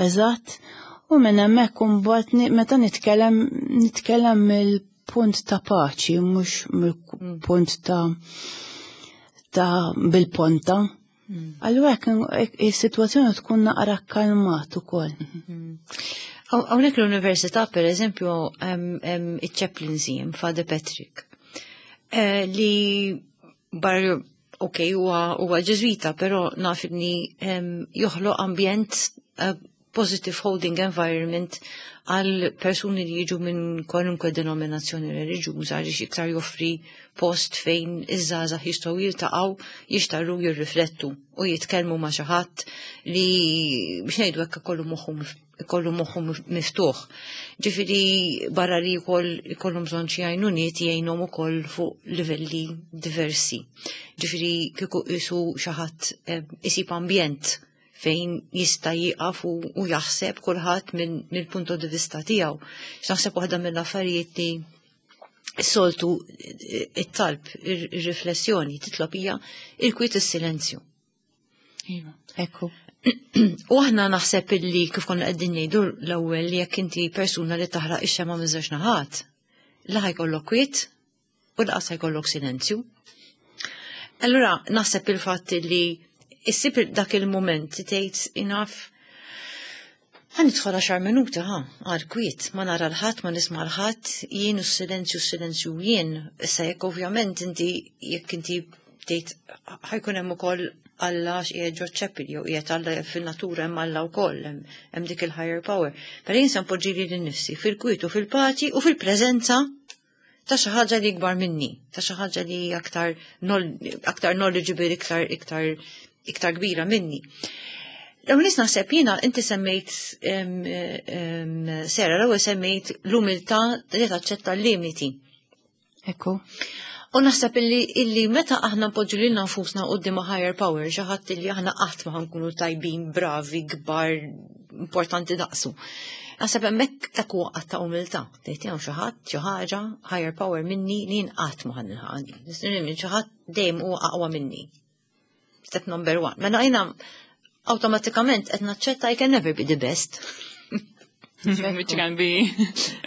eżatt, u minn hemmhekk imbagħad meta nitkellem, nitkellem mill-punt ta' paċi, mhux mill-punt ta' ta' bil-ponta. Mm. Allura hekk is-sitwazzjoni tkun naqra kalmat ukoll. Mm. Hawnhekk l-università, per eżempju, hemm iċ-chaplaincy, Father Patrick, eh, li bar ok, huwa Ġeżwita, però naf li joħloq ambjent, eh, positive holding environment għal persuni li jiġu minn kwalunkwe denominazzjoni reliġjuża, għaliex iktar joffri post fejn iż-żgħażagħ jistgħu jiltaqgħu, jixtarru, jirriflettu u jitkellmu ma' xi ħadd li, biex ngħidu hekk, ikollu moħħu ikollu moħħu miftuħ. Ġifieri barra li jkoll ikollhom bżonn xi għajnuniet, jgħinhom ukoll fuq livelli diversi. Ġifieri kieku qisu xi ħadd eh, isib ambjent fejn jista' jieqaf u jaħseb kulħadd mill-punto di vista tiegħu. X'naħseb waħda mill-affarijiet li s-soltu it-talb, ir-riflessjoni titlob hija il-kwiet, is-silenzju. Iva. Ekku. U aħna naħseb illi kif konna qegħdin ngħidu l-ewwel li jekk inti persuna li taħraq ix-xema minn żewġ naħat, la ħajkollok kwiet u lanqas ħajkollok silenzju. Allura naħseb il-fatt li issib dak il-moment tgħid, "Enough, ħa nidħol għaxar minuti ħa, għal kwiet, ma nara l-ħadd, ma nisma' l-ħadd, jien u s-silenzju, s-silenzju jien." Issa jekk ovvjament inti jekk inti tgħid ħa jkun hemm ukoll Alla qiegħed ġo chapel jew qiegħed Alla fil-natura, hemm Alla wkoll, hemm dik il-higher power. Però jien se npoġġi lili nnifsi fil-kwiet u fil-paċi u fil-preżenza ta' xi ħaġa li ikbar minni, ta' xi ħaġa li aktar aktar knowledgeable, iktar iktar iktar kbira minni. L-ewwel nies naħseb jiena inti semmejt, Sera, l-ewwel semmejt l-umiltà li taċċetta l-limiti. Ekku. U naħseb illi, illi meta aħna npoġġu lilna nfusna quddiem higher power, xi ħadd illi aħna qatt ma ħankunu tajbin, bravi, kbar, importanti daqsu. Naħseb hemmhekk dak huwa att ta' umiltà. Tgħid hawn xi ħadd, xi ħaġa, higher power minni li jien qatt ma ħanilħaq. Xi ħadd dejjem huwa aqwa minni. Step number one. Mela jiena awtomatikament qed naċċetta I can never be the best. Which can be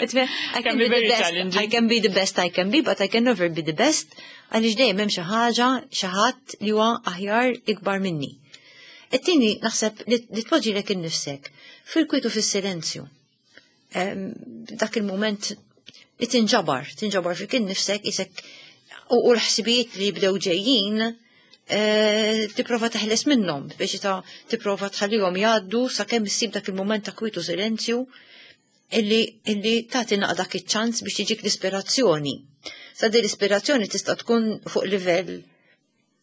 I can be the very best, challenging. I can be the best I can be, but I can never be the best, għaliex dejjem hemm xi ħaġa, xi ħadd li huwa aħjar, ikbar minni. It-tieni naħseb li li tpoġġilek innifsek fil-kwiet u fis-silenzju. Em, Dak il-moment li tinġabar, tinġabar fik innifsek isek u u l-ħsibijiet li jibdew ġejjin eh, tipprova teħles minnhom biex ta' tipprova tħallihom jgħaddu sakemm issib dak il-moment ta' kwiet u silenzju. illi, illi tagħti naqra dak iċ-ċans biex tiġik l-ispirazzjoni. Sa din l-ispirazzjoni tista' tkun fuq livell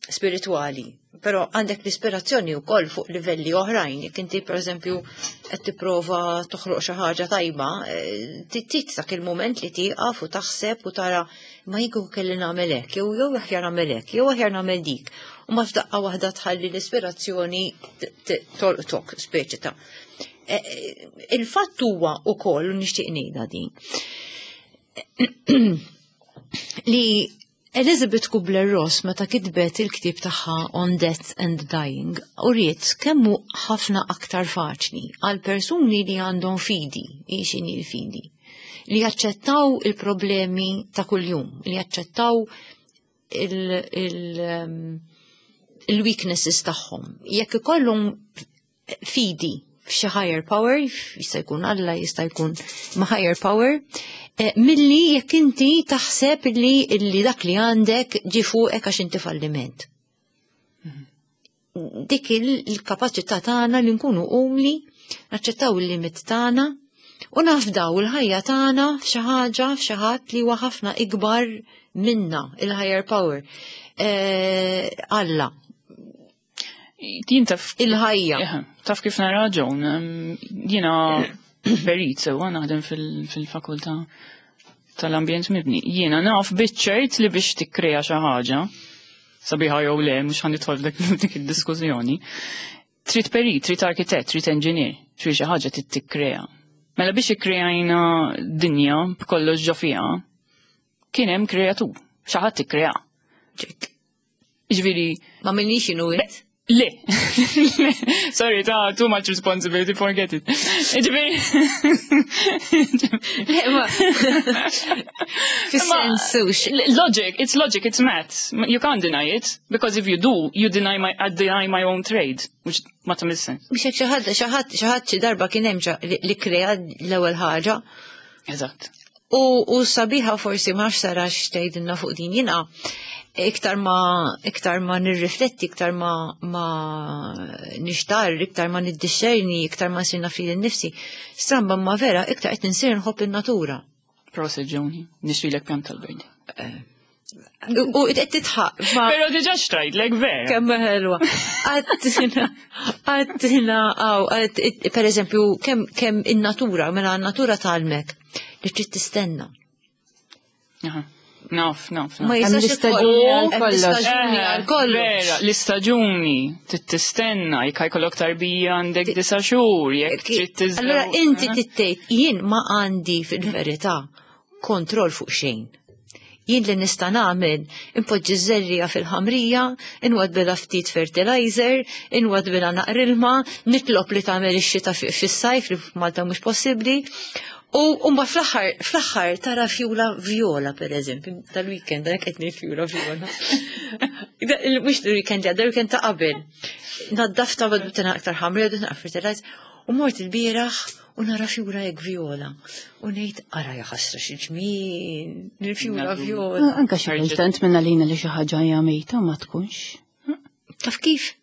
spirituali, però għandek l-ispirazzjoni wkoll fuq livelli oħrajn. Jekk inti pereżempju qed tipprova toħloq xi ħaġa tajba, eh, trid dak il-mument li tieqaf u taħseb u tara ma jien kelli nagħmel hekk, jew jew aħjar nagħmel hekk, jew aħjar nagħmel dik. U ma f'daqqa waħda tħalli l-ispirazzjoni tolqtok speċi ta' eh, eh, Il-fatt huwa wkoll u nixtieq ngħidha din li Elizabeth Kubler-Ross meta kitbet il-ktib tagħha On Death and Dying uriet kemm hu ħafna aktar faċli għal persuni li għandhom fidi, x'inhi l-fidi, li jaċċettaw il-problemi ta' kuljum, li jaċċettaw il- il- um, il-weaknesses tagħhom. Jekk ikollhom fidi f'xi higher power, jista' jkun Alla, jista' jkun ma' higher power, eh, milli jekk inti taħseb li li dak li għandek ġi fuqek għax inti falliment. Dik il-kapaċità tagħna li nkunu umli, naċċettaw il-limit tagħna u nafdaw il-ħajja tagħna f'xi ħaġa f'xi ħadd li huwa ħafna ikbar minna, il-higher power. Eh, Alla, Jien taf il-ħajja. Eħe, taf kif nara Joan, em, jiena perit sewa naħdem fil- fil-fakultà tal-ambjent mibni. Jiena naf biċ-ċert li biex tikkrea xi ħaġa, sabiħa jew le, mhux ħa nidħol f'dik dik id-diskussjoni. Trid perit, trid arkitett, trid engineer, trid xi ħaġa trid tikkrea. Mela biex ikkreajna dinja b'kollox ġo fiha, kien hemm kreatur, xi ħadd ikkrea. Ġek. Jiġifieri, Ma minnix inu int. Le. Sorry, ta' too much responsibility, forget it. Ġifieri. Le, ma. Fis-sens, hux. Logic, it's logic, it's maths. You can't deny it, because if you do, you deny my, I deny my own trade, which ma tagħmel sens. Biex hekk xi ħadd xi ħadd xi ħadd xi darba kien hemm xa- li li krea l-ewwel ħaġa. Eżatt. U, u sabiħa forsi ma nafx sara x'tgħidilna fuq din jiena iktar ma iktar ma nirrifletti, iktar ma ma nixtar, iktar ma niddixxerni, iktar ma nsir naf lili nnifsi. Stramba ma vera, iktar qed insir nħobb in-natura. Prosit Joni, nixtrilek pjan tal-birdi. U u qed titħaq ma Pero diġà xtrajtlek vera. kemm ħelwa. Għattina, għattina, għaw, għat- per eżempju, kemm kemm in-natura, mela n-natura tgħallmek li trid tistenna. Aha. Naf, naf, Ma naf. jistax l-istaġuni ikoll- għal hemm kollox. l-istaġuni għal kollox. Vera, l-istaġuni, trid tistenna, jekk jkollok tarbija għandek disa xhur, jekk trid tiżżewweġ. Allora inti tittejt, jien ma għandi fil-verità kontroll fuq xejn. Jien li nista' nagħmel impoġġi żerriegħa fil-ħamrija, inwaddbilha ftit fertilizer, inwaddbilha naqra ilma, nitlob li tagħmel ix-xita fi- fis-sajf li f'Malta mhux possibbli. U u ma fl-aħħar fl-aħħar tara fjura vjola per eżempju, tal-weekend, dak qed ngħid fjura vjola. Da- il- Mhux il-weekend li għadda, il-weekend ta' qabel. Naddafta bad aktar ħamrija, naqra fertilizer, u mort il-bieraħ u nara fjura hekk vjola. U ngħid ara ja ħasra xi ġmiel, il-fjura Nadu. vjola. Anka xi kultant minna lina li xi ħaġa hija mejta ma tkunx. Taf kif?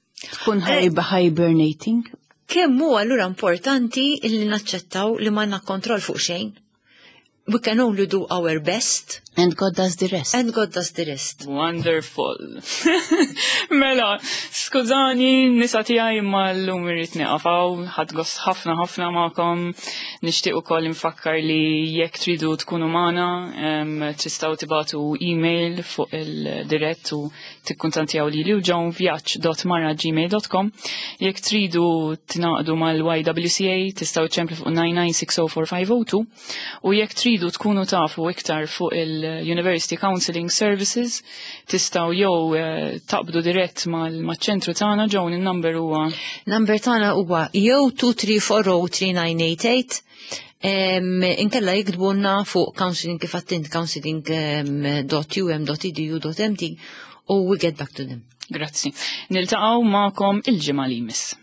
Tkun hibernating. Kemm hu allura importanti illi naċċettaw li m'għandna kontroll fuq xejn? We can only do our best And God does the rest. and God does the rest. Wonderful. Mela, skużani, nisa tiegħi imma llum irrid nieqaf hawn, ħadt gost ħafna ħafna magħkom. Nixtieq ukoll infakkar li jekk tridu tkunu magħna, em, tistgħu tibagħtu email fuq il-dirett u tikkuntattjaw lili u Joan vjaġġ dot mara gmail dot com. Jekk tridu tingħaqdu mal-Y W C A tistgħu ċemplu fuq nine nine six zero four five zero two u jekk tridu tkunu tafu iktar fuq il-University Counseling Services tistgħu jew eh, taqbdu dirett mal-ċentru tagħna. Joan, il-number huwa? Number tagħna huwa jew two three four zero three nine eight eight, em, inkella jiktbulna fuq counseling kif għedt int counseling dot u m dot e d u dot m t u we get back to them. Grazzi. Niltaqgħu magħkom il-ġimgħa li jmiss.